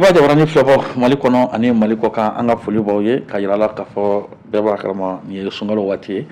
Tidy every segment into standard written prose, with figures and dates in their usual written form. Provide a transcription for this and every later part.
Maliba jabarani filɛbɔ Mali kɔnɔ ani Mali kɔ kan, an ka foli b'aw ye ka yira la k'a fɔ bɛɛ b'a kalama nin ye sunkalo waati ye.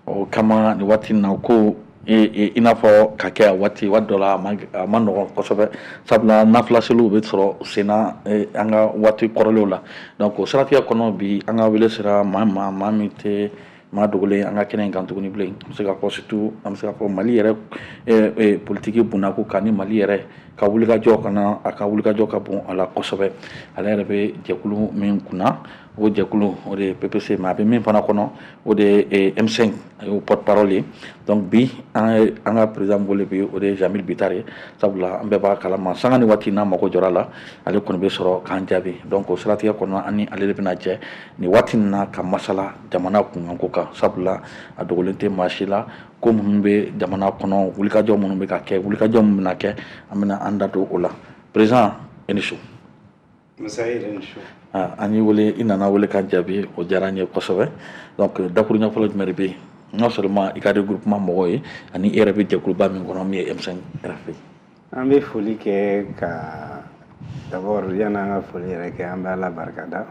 O kama nin waati in na ko i n'a fɔ ka kɛ a waati waati dɔ la, a ma nɔgɔn kosɛbɛ, sabula nafila seliw bɛ sɔrɔ senna an ka waati kɔrɔlenw la. Donc o siratigɛ kɔnɔ, bi an ka wele sera maa ma, maa min tɛ maa dogolen an ka kɛnɛ in kan tuguni bilen. An bɛ se k'a fɔ, surtout an bɛ se k'a fɔ Mali yɛrɛ politiki bundako kan ni Mali yɛrɛ ka wulikajɔ kana, a ka wulikajɔ ka bon a la kosɛbɛ. Ale yɛrɛ bɛ jɛkulu min kunna, o jɛkulu o de ye PPC, mais a bɛ min fana kɔnɔ, o de ye M5, a y'o porte parole ye. Donc bi an ye an ka président wele bi, o de ye Jeamille Bittar ye, sabula an bɛɛ b'a kalama, sanga ni waati n'a mago jɔra la, ale kɔni bɛ sɔrɔ k'an jaabi. Donc o siratigɛ kɔnɔ, an ni ale de bɛna jɛ nin waati in na ka masala jamana kunkanko kan, sabula a dogolen tɛ maa si la ko minnu bɛ jamana kɔnɔ, wulikajɔ minnu bɛ ka kɛ, wulikajɔ minnu bɛna kɛ, an bɛna an da don o la. Président, i ni su. An y'i wele, i nana wele ka jaabi, o diyara n ye kosɛbɛ. Donc dakuru ɲɛfɔlɔ jumɛn de bɛ yen, non seulement i ka regroupement mɔgɔw ye, ani i yɛrɛ bɛ jɛkuluba min kɔnɔ, min ye M5 RFP? An bɛ foli kɛ ka d'abord, yanni an ka foli yɛrɛ kɛ, an bɛ Ala barikada.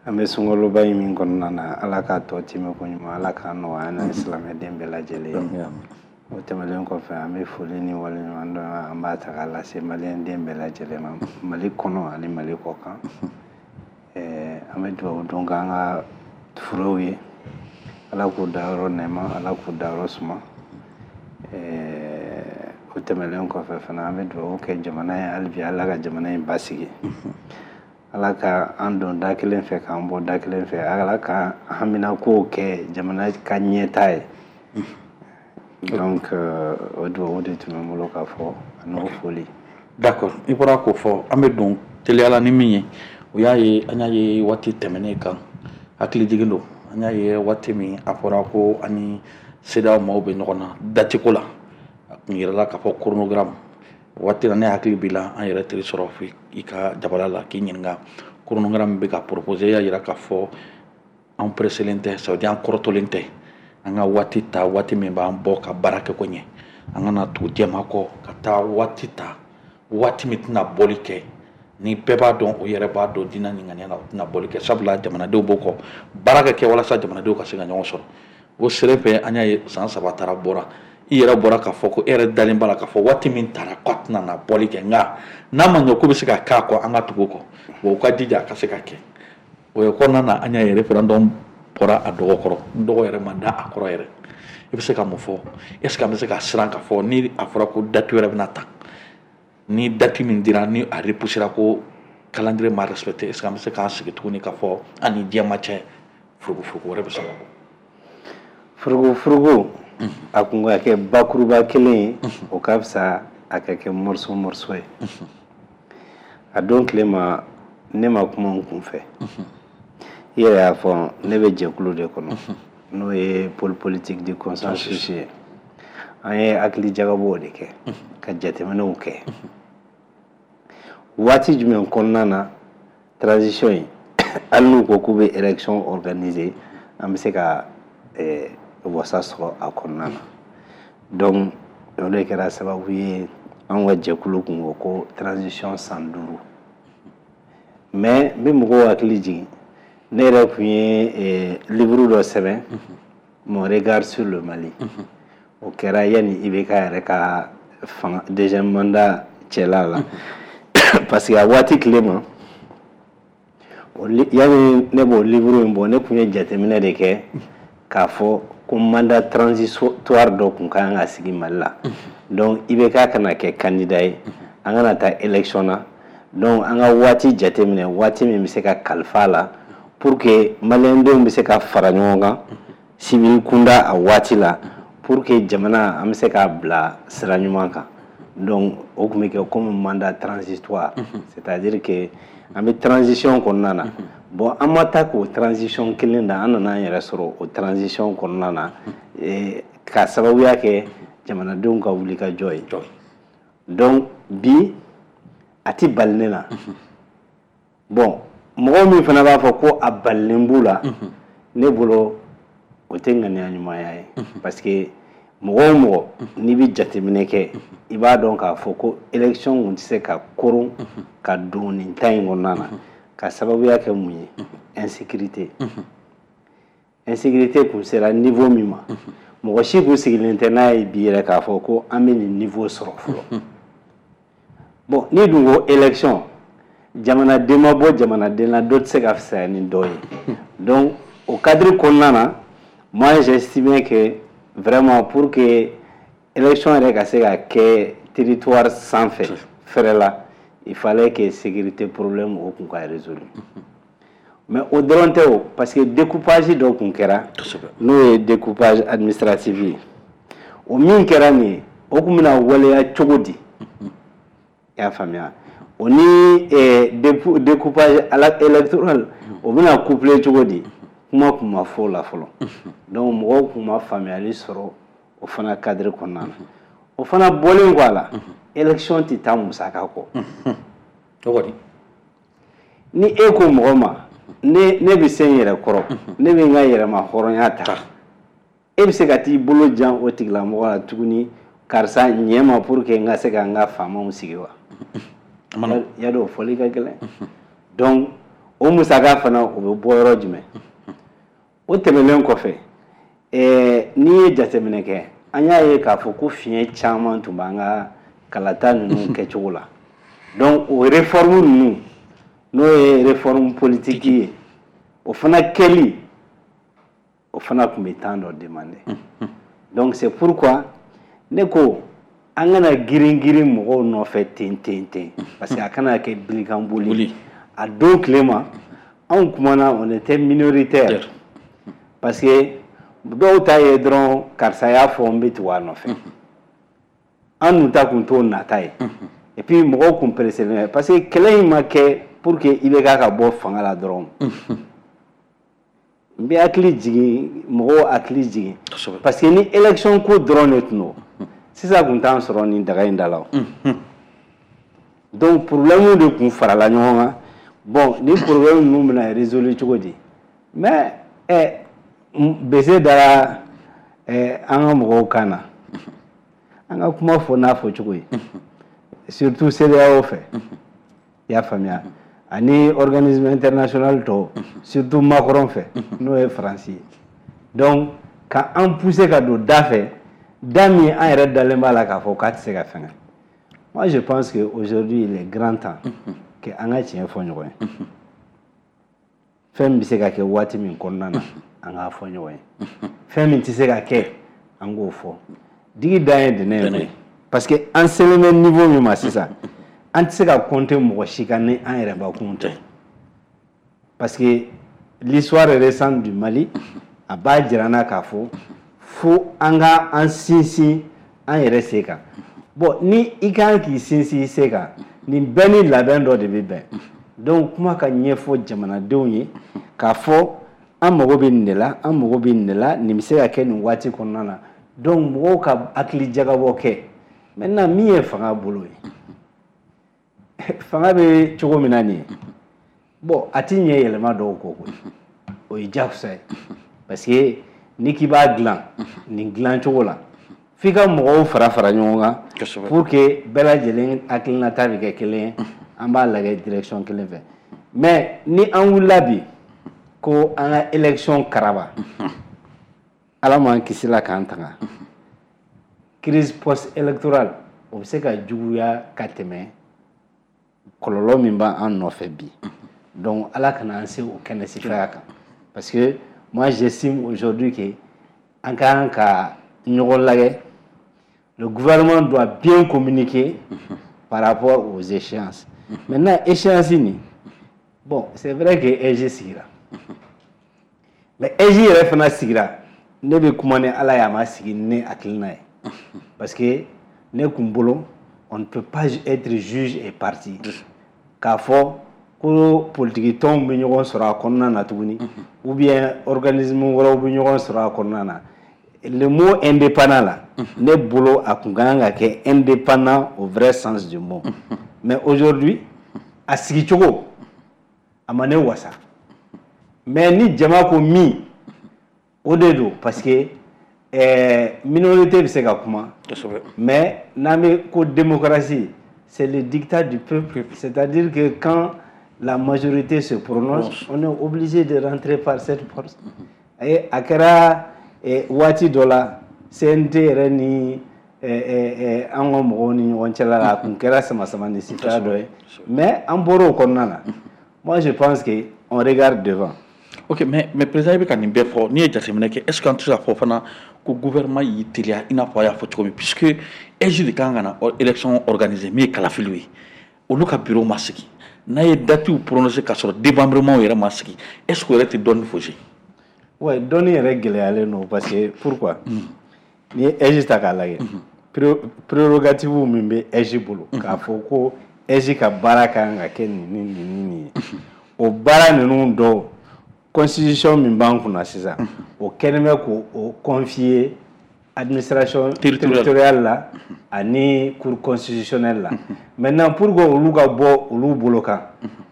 An bɛ sunkaloba in min kɔnɔna na, Ala k'a tɔ timɛ ko ɲuman, Ala k'a nɔgɔya an ni silamɛden bɛɛ lajɛlen ye. O tɛmɛnen kɔfɛ, an bɛ foli ni waleɲuman dɔn, an b'a ta k'a lase maliyɛnden bɛɛ lajɛlen ma, Mali kɔnɔ ani Mali kɔ kan. An bɛ dugawu don k'an ka furew ye, Ala k'u dayɔrɔ nɛɛma, Ala k'u dayɔrɔ suma. O tɛmɛnen kɔfɛ fana, an bɛ dugawu kɛ jamana ye hali bi, Ala ka jamana in basigi, Ala ka an don da kelen fɛ k'an bɔ da kelen fɛ, Ala ka haminakow kɛ jamana ka ɲɛtaa ye. Donc o dugawu de tun bɛ n bolo k'a fɔ ani o foli. D'accord, i bɔra k'o fɔ, an bɛ don teliyala ni min ye, o y'a ye, an y'a ye waati tɛmɛnen kan, hakili jigin don, an y'a ye waati min a fɔra ko ani CEDEAO maaw bɛ ɲɔgɔn na date ko la, a kun yirala k'a fɔ chronogramme waati la. Ne hakili b'i la, an yɛrɛ teri sɔrɔ fo i ka jabala la k'i ɲininka chronogramme bɛ ka proposer. I y'a yira k'a fɔ an pressélen tɛ, ça veut dire an kɔrɔtɔlen tɛ, an ka waati ta, waati min b'an bɔ ka baara kɛ ko ɲɛ, an kana tugu jɛma kɔ ka taa waati ta, waati min tɛna bɔli kɛ, ni bɛɛ b'a dɔn, o yɛrɛ b'a dɔn diinɛ ni ŋaniya la, o tɛna bɔli kɛ, sabula jamanadenw b'o kɔ, baara ka kɛ walasa jamanadenw ka se ka ɲɔgɔn sɔrɔ. O sere fɛ, an y'a ye san 3 taara bɔra, i yɛrɛ bɔra k'a fɔ ko e yɛrɛ dalen b'a la k'a fɔ waati min taara k'a tɛna na bɔli kɛ, nka n'a ma ɲɛ ko bɛ se ka k'a kɔ, an ka tugu o kɔ, wa u ka jija a ka se ka kɛ. O ye kɔnɔna na, an y'a ye référendum bɔra a dɔgɔ kɔrɔ, n dɔgɔ yɛrɛ ma da a kɔrɔ yɛrɛ. I bɛ se ka mun fɔ? Est ce que an bɛ se ka siran k'a fɔ ni a fɔra ko date wɛrɛ bɛna ta, ni date min dira ni a repoussera, ko calendrier ma respecté, est ce que an bɛ se k'an sigi tuguni k'a fɔ an ni diɲɛ ma cɛ, furugufurugu wɛrɛ bɛ se ka bɔ? Furugufurugu, a kun ka kɛ bakuruba kelen ye, o ka fisa a ka kɛ morceau morceau ye. A don tile ma, ne ma kuma n kun fɛ. I yɛrɛ y'a fɔ, ne bɛ jɛkulu de kɔnɔ, n'o ye pôle politique du consensus ye. An ye hakili jagabɔw de kɛ ka jateminɛw kɛ waati jumɛn kɔnɔna na transition in, hali n'u ko k'u bɛ élection organiser, an bɛ se ka wasa sɔrɔ a kɔnɔna na. Donc o de kɛra sababu ye, an ka jɛkulu kun ko ko transition san 5. Mais n bɛ mɔgɔw hakili jigin, ne yɛrɛ kun ye livre dɔ sɛbɛn, Mon regard sur le Mali. O kɛra yanni IBK yɛrɛ ka fanga deuxième mandat cɛla la, parce que a waati tile ma, yanni ne b'o livre in bɔ, ne kun ye jateminɛ de kɛ k'a fɔ ko mandat transitoire dɔ kun ka kan ka sigi Mali la. Donc IBK kana kɛ candidat ye, an kana taa élection na. Donc an ka waati jateminɛ, waati min bɛ se ka kalifa a la pour que maliyɛndenw bɛ se ka fara ɲɔgɔn kan civil kunda a waati la, pour que jamana an bɛ se k'a bila sira ɲuman kan. Donc o tun bɛ kɛ comme mandat transitoire, c'est-à-dire que an bɛ transition kɔnɔna na. Bon, an ma taa k'o transition kelen da, an nana an yɛrɛ sɔrɔ o transition kɔnɔna na ka sababuya kɛ jamanadenw ka wulikajɔ ye. Donc bi a ti bali ne la. Bon, mɔgɔ min fana b'a fɔ ko a balilen b'u la, ne bolo o tɛ ŋaniya ɲumanya ye, parce que Mɔgɔ o mɔgɔ n'i bɛ jateminɛ kɛ, i b'a dɔn k'a fɔ ko élection kun tɛ se ka koron ka don nin ta in kɔnɔna na, ka sababuya kɛ mun ye? Insécurité. Insécurité kun sera niveau min ma, mɔgɔ si kun sigilen tɛ n'a ye bi yɛrɛ k'a fɔ ko an bɛ nin niveau sɔrɔ fɔlɔ. Bon, n'i dun ko élection, jamanaden ma bɔ jamanaden na, dɔ tɛ se ka fisaya ni dɔ ye. Donc o cadre kɔnɔna na, moi j'estime que vraiment, pour que élection yɛrɛ ka se ka kɛ territoire sanfɛ fɛrɛ la, il fallait que sécurité problème o kun ka résolu. Mais o dɔrɔn tɛ o, parce que découpage dɔ kun kɛra, n'o ye découpage administratif ye. O min kɛra nin ye, o kun bɛna waleya cogo di? I y'a faamuya? O ni découpage électoral, o bɛna coupler cogo di? Kuma kun ma fɔ o la fɔlɔ. Donc mɔgɔw kun ma faamuyali sɔrɔ o fana cadre kɔnɔna na. O fana bɔlen kɔ a la, élection tɛ taa musaka kɔ. O kɔni. Ni e ko mɔgɔ ma, ne bɛ se n yɛrɛ kɔrɔ, ne bɛ n ka yɛrɛma hɔrɔnya ta, e bɛ se ka t'i bolo jan o tigilamɔgɔ la tuguni, karisa ɲɛ ma, pour que n ka se ka n ka faamaw sigi wa? Ya dɔn, o fɔli ka gɛlɛn. Donc o musaka fana, o bɛ bɔ yɔrɔ jumɛn? O tɛmɛnen kɔfɛ, n'i ye jateminɛ kɛ, an y'a ye k'a fɔ ko fiɲɛ caman tun b'an ka kalata ninnu kɛcogo la. Donc o réforme ninnu, n'o ye réforme politique ye, o fana kɛli, o fana tun bɛ temps dɔ demander. Donc c'est pourquoi ne ko an kana girin girin mɔgɔw nɔfɛ ten ten ten, parce que a kana kɛ bilikan boli. A don tile ma, anw kumana, on était minoritaire, parce que dɔw ta ye dɔrɔn karisa y'a fɔ, n bɛ tugu a nɔfɛ. An dun ta kun t'o nata ye. Et puis mɔgɔw kun pressé bɛ, parce que kɛlɛ in ma kɛ pour que IBK ka bɔ fanga la dɔrɔn. N bɛ hakili jigin, mɔgɔw hakili jigin, parce que ni élection ko dɔrɔn de tun don, sisan kun t'an sɔrɔ nin daga in da la o. Donc problème de kun farala ɲɔgɔn kan. Bon, ni problème ninnu bɛna résoudre cogo di? Mais bese dara an ka mɔgɔw kan na, an ka kuma fɔ n'a fɔ cogo ye, surtout CEDEAO fɛ, i y'a faamuya, ani organisme international tɔw, surtout Macron fɛ, n'o ye Faransi ye. Donc ka an pousser ka don da fɛ, da min an yɛrɛ dalen b'a la k'a fɔ k'a tɛ se ka fɛngɛ. Moi je pense que aujourd'hui il est grand temps que an ka tiɲɛ fɔ ɲɔgɔn ye. Fɛn min bɛ se ka kɛ waati min kɔnɔna na, an k'a fɔ ɲɔgɔn ye. Fɛn min tɛ se ka kɛ, an k'o fɔ. Digi dan ye dɛnɛ ye koyi, parce que an selen bɛ niveau min ma sisan, an tɛ se ka compter mɔgɔ si kan ni an yɛrɛ bakun tɛ, parce que l'histoire récente du Mali a b'a jira an na k'a fɔ fo an ka an sinsin an yɛrɛ sen kan. Bon, ni i kan k'i sinsin i sen kan, nin bɛɛ ni labɛn dɔ de bɛ bɛn. Donc kuma ka ɲɛfɔ jamanadenw ye k'a fɔ an mago bɛ nin de la, an mago bɛ nin de la, nin bɛ se ka kɛ nin waati kɔnɔna na. Donc mɔgɔw ka hakili jagabɔ kɛ. Maintenant, min ye fanga bolo ye, fanga bɛ cogo min na nin ye, bon, a ti ɲɛ yɛlɛma dɔw kɔ koyi, o ye jagosa ye, parce que n'i k'i b'a dilan nin dilan cogo la, f'i ka mɔgɔw fara fara ɲɔgɔn kan pour que bɛɛ lajɛlen hakilinata bɛ kɛ kelen ye, an b'a lajɛ direction kelen fɛ. Mais ni an wulila bi ko an ka élection karaba, Ala m'an kisi la k'an tanga, crise post électorale o bɛ se ka juguya ka tɛmɛ kɔlɔlɔ min b'an nɔfɛ bi. Donc Ala kana an se o kɛnɛ sifaya kan, parce que moi j'estime aujourd'hui que an ka kan ka ɲɔgɔn lajɛ. Le gouvernement doit bien communiquer par rapport aux échéances. Maintenant, échéance nin, bon, c'est vrai que AIGE sigira, mais AIGE yɛrɛ fana sigira, ne bɛ kuma ni Ala ye, a ma sigi ni ne hakilina ye, parce que ne kun bolo, on ne peut pas être juge et partie, k'a fɔ ko politiki tɔnw bɛ ɲɔgɔn sɔrɔ a kɔnɔna na tuguni, ou bien organisme wɛrɛw bɛ ɲɔgɔn sɔrɔ a kɔnɔna na. Le mot indépendant là, ne bolo, a kun ka kan ka kɛ indépendant au vrai sens du mot. Mais aujourd'hui, a sigicogo a ma ne wasa. Mais ni jama ko min, o de don, parce que Minorité bɛ se ka kuma, mais n'an bɛ ko démocratie, c'est le dictat du peuple, c'est-à-dire que quand la majorité se prononce, on est obligé de rentrer par cette porte. Et a kɛra waati dɔ la, CNT yɛrɛ ni an ka mɔgɔw ni ɲɔgɔn cɛla la, a kun kɛra sama sama ni sira dɔ ye, mais an bɔra o kɔnɔna na. Moi, je pense que on regarde devant. Ok, mais président, i bɛ ka nin bɛɛ fɔ, n'i ye jateminɛ kɛ, est ce que an tɛ se k'a fɔ fana ko gouvernement y'i teliya, i n'a fɔ a y'a fɔ cogo min, puisque AIGE de kan ka na élection organiser, min ye kalafiliw ye, olu ka bureau ma sigi, n'a ye datew prononcé k'a sɔrɔ démembrement yɛrɛ ma sigi, est ce que o yɛrɛ tɛ dɔɔni faussé? Ouais, dɔɔni yɛrɛ gɛlɛyalen don, parce que pourquoi? N'i ye AIGE ta k'a lajɛ, prérogative min bɛ AIGE bolo, k'a fɔ ko AIGE ka baara kan ka kɛ nin ni nin ni nin ye, o baara ninnu dɔw, constitution min b'an kunna sisan, o kɛlen bɛ k'o confier administration territoriale la ani cour constitutionnelle la. Maintenant, pour que olu ka bɔ olu bolo kan,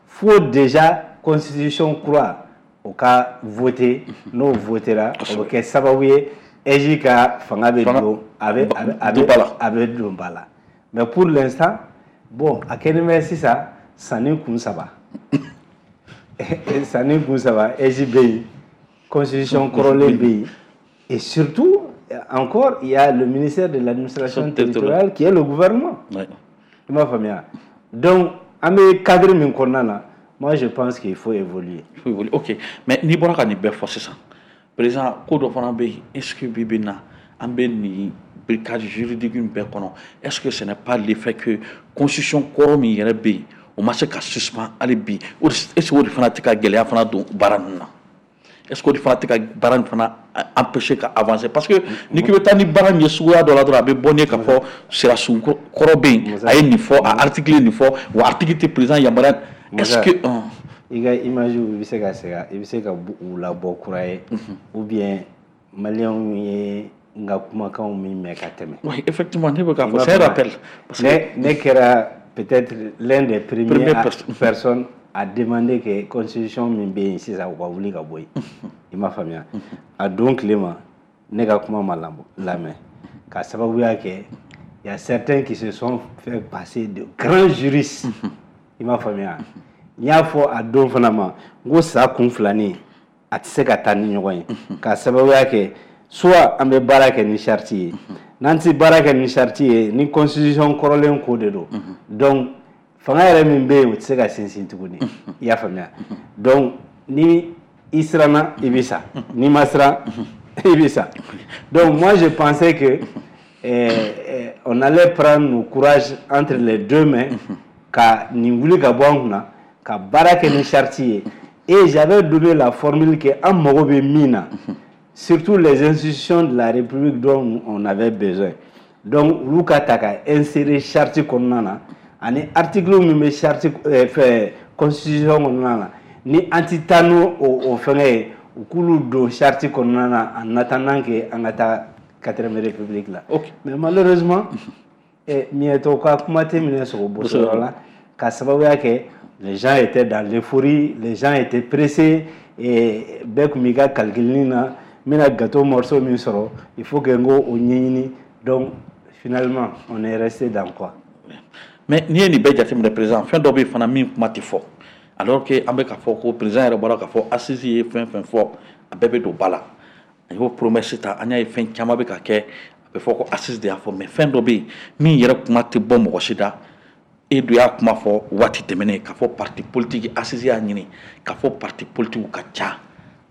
fo déjà constitution kura o ka voter. N'o votera, o bɛ kɛ sababu ye AIGE ka fanga bɛ don, a bɛ don ba la. Mais pour l'instant, bon, a kɛlen bɛ sisan sanni kun saba, sanni kun saba, AIGE bɛ yen, constitution kɔrɔlen bɛ yen, et surtout encore, il y a le ministère de l'Administration territoriale qui est le gouvernement. I m'a faamuya? Donc an bɛ cadre min kɔnɔna na, moi, je pense qu'il faut évoluer. Il faut évoluer, ok. Mais n'i bɔra ka nin bɛɛ fɔ sisan, président, ko dɔ fana bɛ yen, est ce que bi bi in na, an bɛ nin blocage juridique in bɛɛ kɔnɔ, est ce que ce n'est pas l'effet que constitution kɔrɔ min yɛrɛ bɛ yen, o ma se ka suspend hali bi, est ce que o de fana tɛ ka gɛlɛya fana don baara ninnu na? Est ce que o de fana tɛ ka baara nin fana empêcher ka avancer? Parce que n'i k'i bɛ taa ni baara min ye suguya dɔ la dɔrɔn, a bɛ bɔ n'i ye k'a fɔ sirasun kɔrɔ bɛ yen, a ye nin fɔ, a article ye nin fɔ, wa article tɛ président yamaruya. Est ce que I ka image, i bɛ se ka segin, i bɛ se ka u labɔ kura ye, ou bien maliyɛnw ye n ka kumakanw min mɛn ka tɛmɛ. Oui, effectivement, ne bɛ k'a fɔ, c'est un rappel. Parce que ne kɛra peut-être l'un des premiers personnes à demander que constitution min bɛ yen sisan, u ka wuli ka bɔ yen. I m'a faamuya? A don tile ma, ne ka kuma ma lamɛn, ka sababuya kɛ il y a certains qui se sont fait passer de grands juristes. I m'a faamuya? N y'a fɔ a don fana ma, n ko sa kun filanin a tɛ se ka taa ni ɲɔgɔn ye, ka sababuya kɛ soit an bɛ baara kɛ ni charte ye, n'an tɛ baara kɛ ni charte ye, ni constitution kɔrɔlen ko de don, donc fanga yɛrɛ min bɛ yen, o tɛ se ka sinsin tuguni. I y'a faamuya? Donc ni i siranna, i bɛ sa, n'i ma siran, i bɛ sa. Donc moi, je pensais que on allait prendre nos courages entre les deux mains ka nin wuli ka bɔ an kunna, ka baara kɛ ni charte ye. Et j'avais donné la formule que an mago bɛ min na, surtout les institutions de la République dont on avait besoin, donc olu ka ta ka insérer charte kɔnɔna na, ani article min bɛ charte fɛ constitution kɔnɔna na, ni an ti taa n'o o fɛngɛ ye, u k'olu don charte kɔnɔna na en attendant que an ka taa quatrième république la. Mais malheureusement, miɲɛtɔ ka kuma tɛ minɛ sogo bɔsɔyɔrɔ la, ka sababuya kɛ les gens étaient dans l'euphorie, les gens étaient pressés, et bɛɛ tun b'i ka calcul na, n bɛna gâteau morceau min sɔrɔ, il faut que n k'o o ɲɛɲini. Donc finalement, on est resté dans quoi? Mais n'i ye nin bɛɛ jateminɛ, président, fɛn dɔ bɛ yen fana min kuma tɛ fɔ, alors que an bɛ k'a fɔ ko président yɛrɛ bɔra k'a fɔ assise ye fɛn fɛn fɔ, a bɛɛ bɛ don ba la, a y'o promesse ta. An y'a ye fɛn caman bɛ ka kɛ, a bɛ fɔ ko assise de y'a fɔ, mais fɛn dɔ bɛ yen min yɛrɛ kuma tɛ bɔ mɔgɔ si da. E dun y'a kuma fɔ waati tɛmɛnen k'a fɔ parti politique, assise y'a ɲini k'a fɔ parti politique ka ca,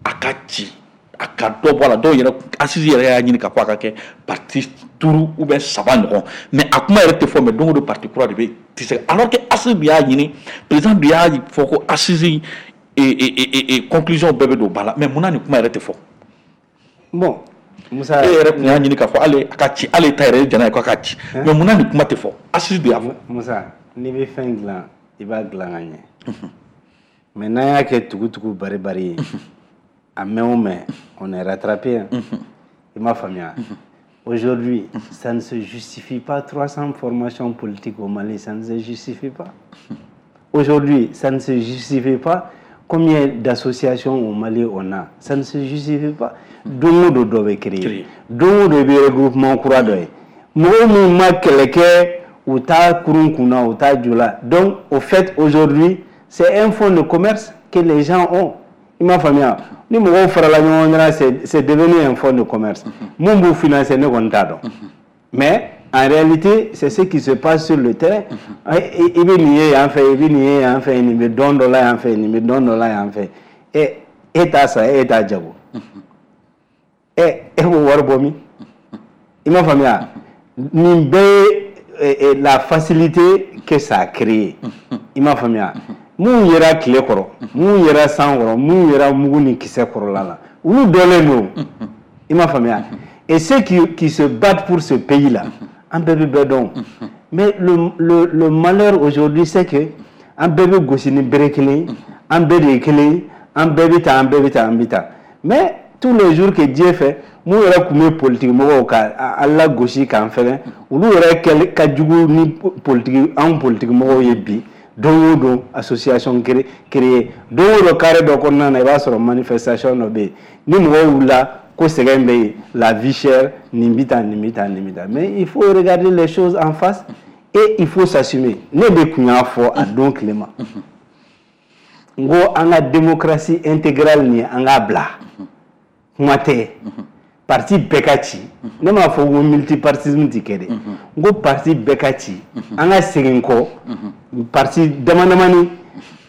a ka ci, a ka dɔ bɔ a la. Dɔw yɛrɛ, assise yɛrɛ y'a ɲini k'a fɔ a ka kɛ parti duuru ou bien saba ɲɔgɔn, mais a kuma yɛrɛ tɛ fɔ. Mais don o don, parti kura de bɛ tɛ se, alors que assise dun y'a ɲini, président dun y'a fɔ ko assise et conclusion bɛɛ bɛ don ba la, mais munna nin kuma yɛrɛ tɛ fɔ? Bon, Musa, e yɛrɛ tun y'a ɲini k'a fɔ hali a ka ci, hali ta yɛrɛ ye jɛn'a ye k'a ka ci, mais munna nin kuma tɛ fɔ? Assise dun y'a fɔ. Musa, n'i bɛ fɛn dilan, i b'a dilan ka ɲɛ, mais n'an y'a kɛ tugu-tugu bari-bari ye, a mɛn o mɛn, on est rattrapé, hein. I m'a faamuya? Aujourd'hui, ça ne se justifie pas, 300 formations politiques au Mali, ça ne se justifie pas. Aujourd'hui, ça ne se justifie pas. Combien d'associations au Mali on a? Ça ne se justifie pas. Don o don, dɔ bɛ créer. Don o don, i bɛ regroupement kura dɔ ye. Mɔgɔ minnu ma kɛlɛ kɛ, u t'a kurun kunna, u t'a ju la. Donc au fait, aujourd'hui, c'est un fonds de commerce que les gens ont. I m'a faamuya? Ni mɔgɔw farala ɲɔgɔn kan, c'est devenu un fonds de commerce. Mun b'u financer, ne kɔni t'a dɔn. Mais en réalité, c'est ce qui se passe sur le terrain. I bɛ nin ye yan fɛ, i bɛ nin ye yan fɛ, nin bɛ dɔn dɔ la yan fɛ, nin bɛ dɔn dɔ la yan fɛ. E t'a san, e t'a jago. E b'o wari bɔ min? I m'a faamuya? Nin bɛɛ ye la facilité que ça a créé. I m'a faamuya? Mun yera tile kɔrɔ, mun yera san kɔrɔ, mun yera mugu ni kisɛ kɔrɔla la, olu dɔnlen don. I m'a faamuya? Et ceux qui se battent pour ce pays-là, an bɛɛ bɛ bɛɛ dɔn. Mais le malheur aujourd'hui, c'est que an bɛɛ bɛ gosi ni bere kelen ye, an bɛɛ de ye kelen ye, an bɛɛ bɛ tan, an bɛɛ bɛ tan, an bɛ tan. Mais tous les jours que Dieu fait, mun yɛrɛ tun bɛ politique mɔgɔw ka an lagosi k'an fɛngɛ, olu yɛrɛ kɛli ka jugu ni politique, anw politique mɔgɔw ye bi. Don o don, association créée. Don o don, carré dɔ kɔnɔna na, i b'a sɔrɔ manifestation dɔ bɛ yen. Ni mɔgɔw wulila ko sɛgɛn bɛ yen, la vie chère, nin bɛ tan, nin bɛ tan, nin bɛ tan. Mais il faut regarder les choses en face et il faut s'assumer. Ne de tun y'a fɔ a don tile ma, n ko an ka démocratie intégrale nin, an k'a bila. Kuma tɛ parti bɛɛ ka ci. Ne m'a fɔ ko multipartisme ti kɛ dɛ. N ko parti bɛɛ ka ci, an ka segin kɔ parti dama damani,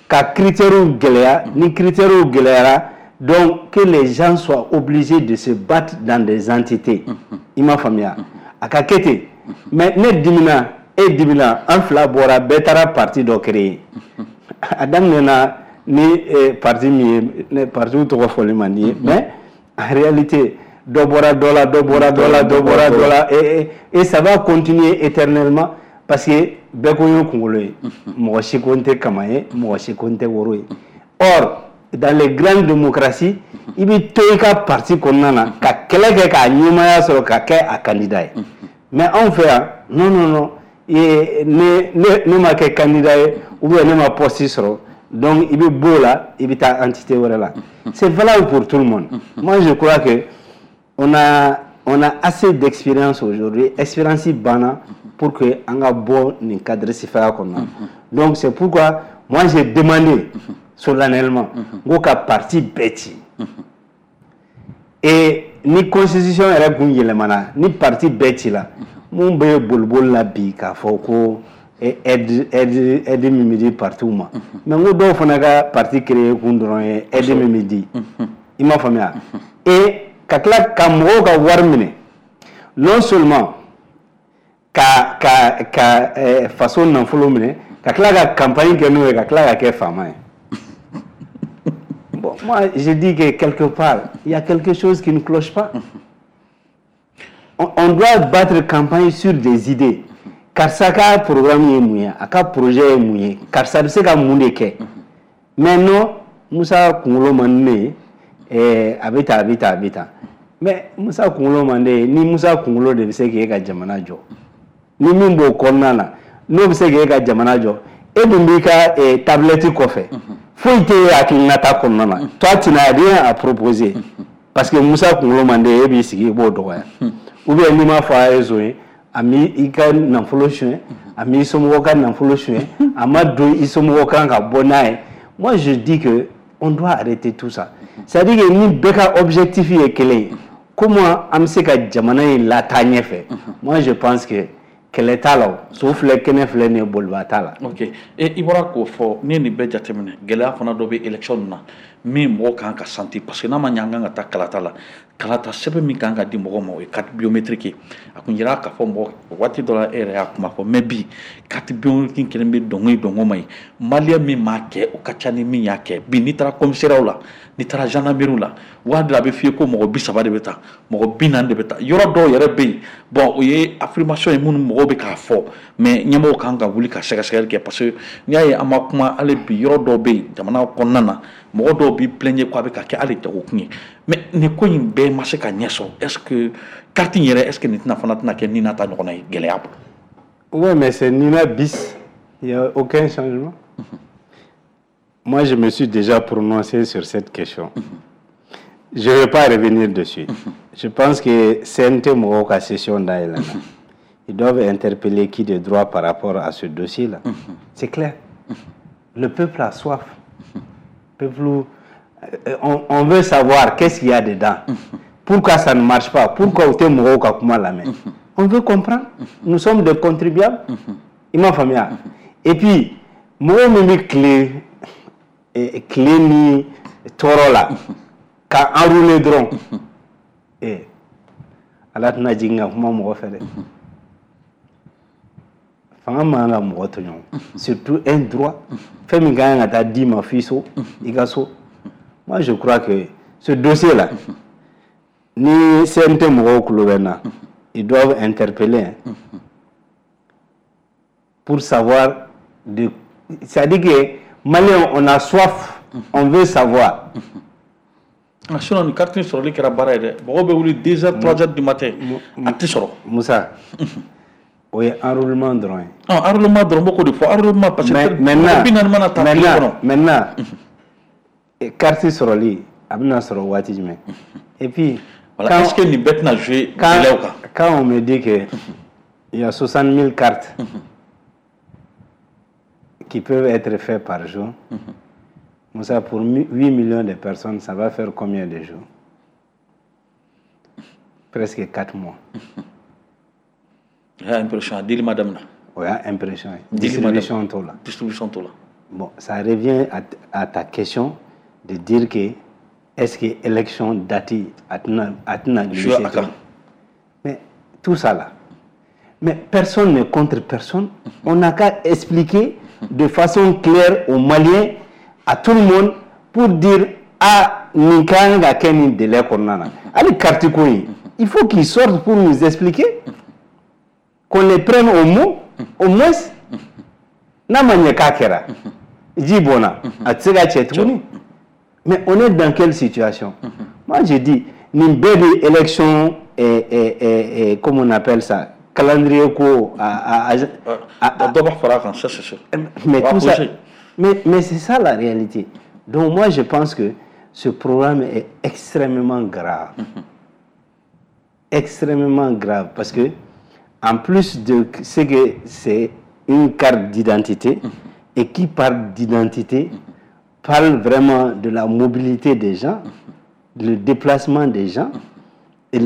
ka critères gɛlɛya. Ni critères gɛlɛyara, donc que les gens soient obligés de se battre dans des entités. I m'a faamuya? A ka kɛ ten. Mais ne dimina, e dimina, an fila bɔra, bɛɛ taara parti dɔ créer. A daminɛna ni parti min ye, ne partiw tɔgɔ fɔli man di ye, mais en réalité, dɔ bɔra dɔ la, dɔ bɔra dɔ la, dɔ bɔra dɔ la, et ça va continuer éternellement, parce que bɛɛ ko n ye kunkolo ye, mɔgɔ si ko n tɛ kama ye, mɔgɔ si ko n tɛ woro ye. Or dans les grandes démocraties, i bɛ to i ka parti kɔnɔna na ka kɛlɛ kɛ k'a ɲɛmaaya sɔrɔ ka kɛ a candidat ye. Mais anw fɛ yan, non, non, non, ne ma kɛ candidat ye ou bien ne ma poste sɔrɔ, donc i bɛ bɔ o la, i bɛ taa entité wɛrɛ la. C'est valable pour tout le monde. Moi, je crois que on a assez d'expérience aujourd'hui, expérience banna, pour que an ka bɔ nin cadre sifaya kɔnɔna. Donc c'est pourquoi moi j'ai demandé solennellement n ko ka parti bɛɛ ci. Et ni constitution yɛrɛ kun yɛlɛmana, ni parti bɛɛ ci la, mun bɛ boliboli la bi k'a fɔ ko aide min bɛ di partiw ma? Mais n ko dɔw fana ka parti créer kun dɔrɔn ye aide min bɛ di. I m'a faamuya? Et ka tila ka mɔgɔw ka wari minɛ, non seulement ka faso nafolo minɛ, ka tila ka campagne kɛ n'o ye, ka tila ka kɛ faama ye. Bon, moi, je dis que quelque part, il y a quelque chose qui ne cloche pas. On doit battre campagne sur des idées. Karisa ka programme ye mun ye, a ka projet ye mun ye, karisa bɛ se ka mun de kɛ? Mais non, Musa kunkolo man di ne ye, a bɛ tan, a bɛ tan, a bɛ tan. Mais Musa kunkolo man di ye, ni Musa kunkolo de bɛ se k'e ka jamana jɔ, ni min b'o kɔnɔna na, n'o bɛ se k'e ka jamana jɔ, e dun b'i ka tablette kɔfɛ, foyi tɛ e hakilinata kɔnɔna na. Toi, tu n'as rien à proposer parce que Musa kunkolo man di ye, e b'i sigi i b'o dɔgɔya. Ou bien n'i m'a fɔ a ye zon ye, a m'i i ka nafolo suɲɛ, a m'i somɔgɔw ka nafolo suɲɛ, a ma don i somɔgɔw kan ka bɔ n'a ye. Moi, je dis que on doit arrêter tout ça. C'est à dire que ni bɛɛ ka objectif ye kelen ye, comment an bɛ se ka jamana in lataa ɲɛfɛ? Moi, je pense que kɛlɛ t'a la. O so filɛ, kɛnɛ filɛ nin ye, boliba t'a la. Ok, e i bɔra k'o fɔ. N'i ye nin bɛɛ jateminɛ, gɛlɛya fana dɔ bɛ élection na min mɔgɔw kan ka sentir, parce que n'a ma ɲɛ an kan ka taa kalata la, kalata sɛbɛn min kan ka di mɔgɔw ma, o ye carte biométrique ye. A kun yira k'a fɔ mɔgɔ waati dɔ la, e yɛrɛ y'a kuma fɔ. Mais bi, carte biométrique kelen bɛ dɔnko ye, dɔnko ma ye. Malien min m'a kɛ, o ka ca ni min y'a kɛ. Bi, n'i taara commissariat la, n'i taara gendarmerie la, waati la a bɛ f'i ye ko mɔgɔ 30 de bɛ taa, mɔgɔ 40 de bɛ taa. Yɔrɔ dɔw yɛrɛ bɛ yen, bon, o ye affirmation ye minnu mɔgɔw bɛ k'a fɔ, mais ɲɛmɔgɔw kan ka wuli ka sɛgɛsɛgɛli kɛ, parce que n'i y'a ye an ma kuma hali bi, yɔrɔ dɔw bɛ yen jamana kɔnɔna na, mɔgɔ dɔw b'i plaindre ko a bɛ ka kɛ hali jagokun ye. Mais nin ko in bɛɛ ma se ka ɲɛ sɔrɔ. Est ce que carte in yɛrɛ, est ce que nin tɛna fana tɛna kɛ Nina ta ɲɔgɔnna ye gɛlɛya bolo? Oui, mais c'est Nina bis. Il n'y a aucun changement. Moi, je me suis déjà prononcé sur cette question. Je ne vais pas revenir dessus. Je pense que CNT mɔgɔw ka session dayɛlɛnna. Ils doivent interpeller qui de droit par rapport à ce dossier-là. C'est clair. Le peuple a soif. Peuple, on veut savoir qu'est-ce qu'il y a dedans. Pourquoi ça ne marche pas? Pourquoi u tɛ mɔgɔw ka kuma lamɛn? On veut comprendre. Nous sommes des contribuables. I m'a faamuya? Et puis, mɔgɔ min bɛ tile ni tɔɔrɔ la ka enrouler dɔrɔn, Ala tɛna jigin ka kuma mɔgɔ fɛ dɛ. Fanga man kan ka mɔgɔ tɔɲɔ, surtout un droit, fɛn min ka kan ka taa d'i ma f'i so, i ka so. Moi, je crois que ce dossier là, ni CNT mɔgɔw tulo bɛ n na, ils doivent interpeller, hein, pour savoir de, c'est-à-dire que Maliens, on a soif, on veut savoir. Ah, sinon nin carte in sɔrɔli kɛra baara ye dɛ. Mɔgɔw bɛ wuli 2 heures, 3 heures du matin, a tɛ sɔrɔ. Musa, o ye enrôlement dɔrɔn ye. Ah, enrôlement dɔrɔn, n b'o de fɔ, enrôlement, parce que maintenant 40 mana ta tile kɔnɔ. Maintenant, carte sɔrɔli, a bɛna sɔrɔ waati jumɛn? Et puis Voilà, est-ce que nin bɛɛ tɛna jouer délai kan? Quand on me dit que il y a 60 000 cartes qui peuvent être faites par jour, Moussa, pour 8 millions de personnes, ça va faire combien de jours? Presque 4 mois. Il y a impression, dili ma daminɛ. O y'a impression ye. Dili ma daminɛ. Distribution t'o la. Distribution t'o la. Bon, ça revient à ta question de dire que est-ce que élection date a tɛna jouer glisser a kan. Mais tout ça là. Mais personne n'est contre personne. On n'a qu'à expliquer de façon claire aux Maliens, à tout le monde, pour dire: ah, nin ka kan ka kɛ nin délai kɔnɔna na. Hali carte ko in, il faut qu'ils sortent pour nous expliquer, qu'on les prenne au mot, au moins. N'a ma ɲɛ k'a kɛra, ji bɔnna, a tɛ se ka cɛ tuguni. Mais on est dans quelle situation? Moi, je dis, nin bɛɛ bɛ élection, comment on appelle ça, calendrier ko a Dɔ b'a fara a kan, ça c'est sûr. Mais On va tout ça, approcher. mais c'est ça la réalité. Donc moi, je pense que ce programme est extrêmement grave. Extrêmement grave parce que, en plus de ce que c'est une carte d'identité, et qui parle d'identité, parle vraiment de la mobilité des gens, le déplacement des gens, et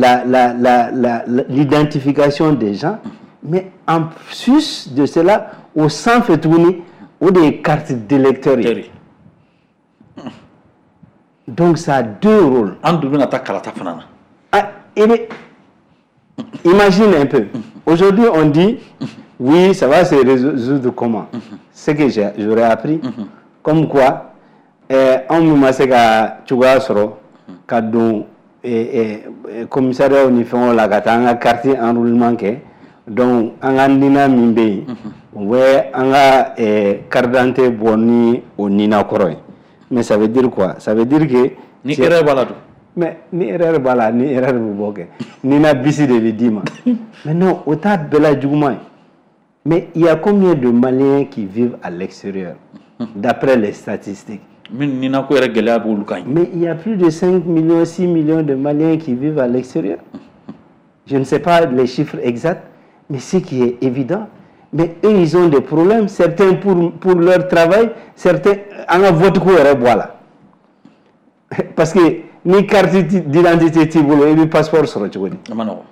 l'identification des gens, mais en plus de cela, au sanfɛ tuguni, o de ye carte d'électeur ye. Teri. Donc ça a deux rôles. An dun bɛna taa kalata fana na. Ah, imagine un peu. Aujourd'hui, on dit, oui, ça va se résoudre comment? Ce que j'aurais appris, comme quoi, anw min ma se ka cogoya sɔrɔ ka don commissariat ni fɛnw la ka taa an ka carte enrôlement kɛ, donc an ka nina min bɛ yen, o bɛ an ka carte d'identité bɔ ni o nina kɔrɔ ye. Mais ça veut dire quoi? Ça veut dire que Ni erreur b'a la dun? Mais ni erreur b'a la, ni erreur bɛ bɔ kɛ, nina bisi de bɛ d'i ma. Mais non, o t'a bɛɛ la juguman ye. Mais il y a combien de Maliens qui vivent à l'extérieur, d'après les statistiques? Min nina ko yɛrɛ gɛlɛya b'olu kan. Mais il y a plus de 5 millions, 6 millions de Maliens qui vivent à l'extérieur. Je ne sais pas les chiffres exacts, mais ce qui est évident, mais eux, ils ont des problèmes, certains pour leur travail, certains, an ka vote ko yɛrɛ bɔ a la. Parce que ni carte d'identité t'i bolo, i bɛ passeport sɔrɔ cogo di? A ma nɔgɔn.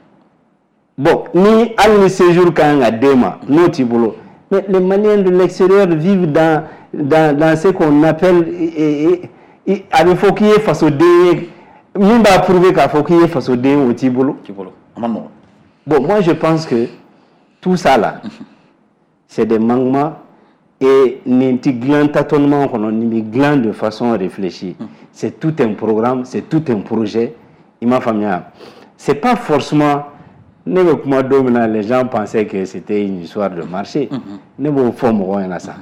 Bon, ni hali ni séjour ka kan ka d'e ma, n'o t'i bolo. Mais les Maliens de l'extérieur vivent dans ce qu'on appelle, a bɛ fɔ k'i ye fasoden ye, min b'a prouver k'a fɔ k'i ye fasoden ye, o t'i bolo. T'i bolo, a ma nɔgɔn. Bon, moi, je pense que tout ça là, c'est des manquements et nin ti dilan tâtonnement kɔnɔ, nin bɛ dilan de façon réfléchie. C'est tout un programme, c'est tout un projet. I m'a faamuya? C'est pas forcément, ne bɛ kuma don min na, les gens pensaient que c'était une histoire de marché. Ne b'o fɔ mɔgɔw ɲɛna sa.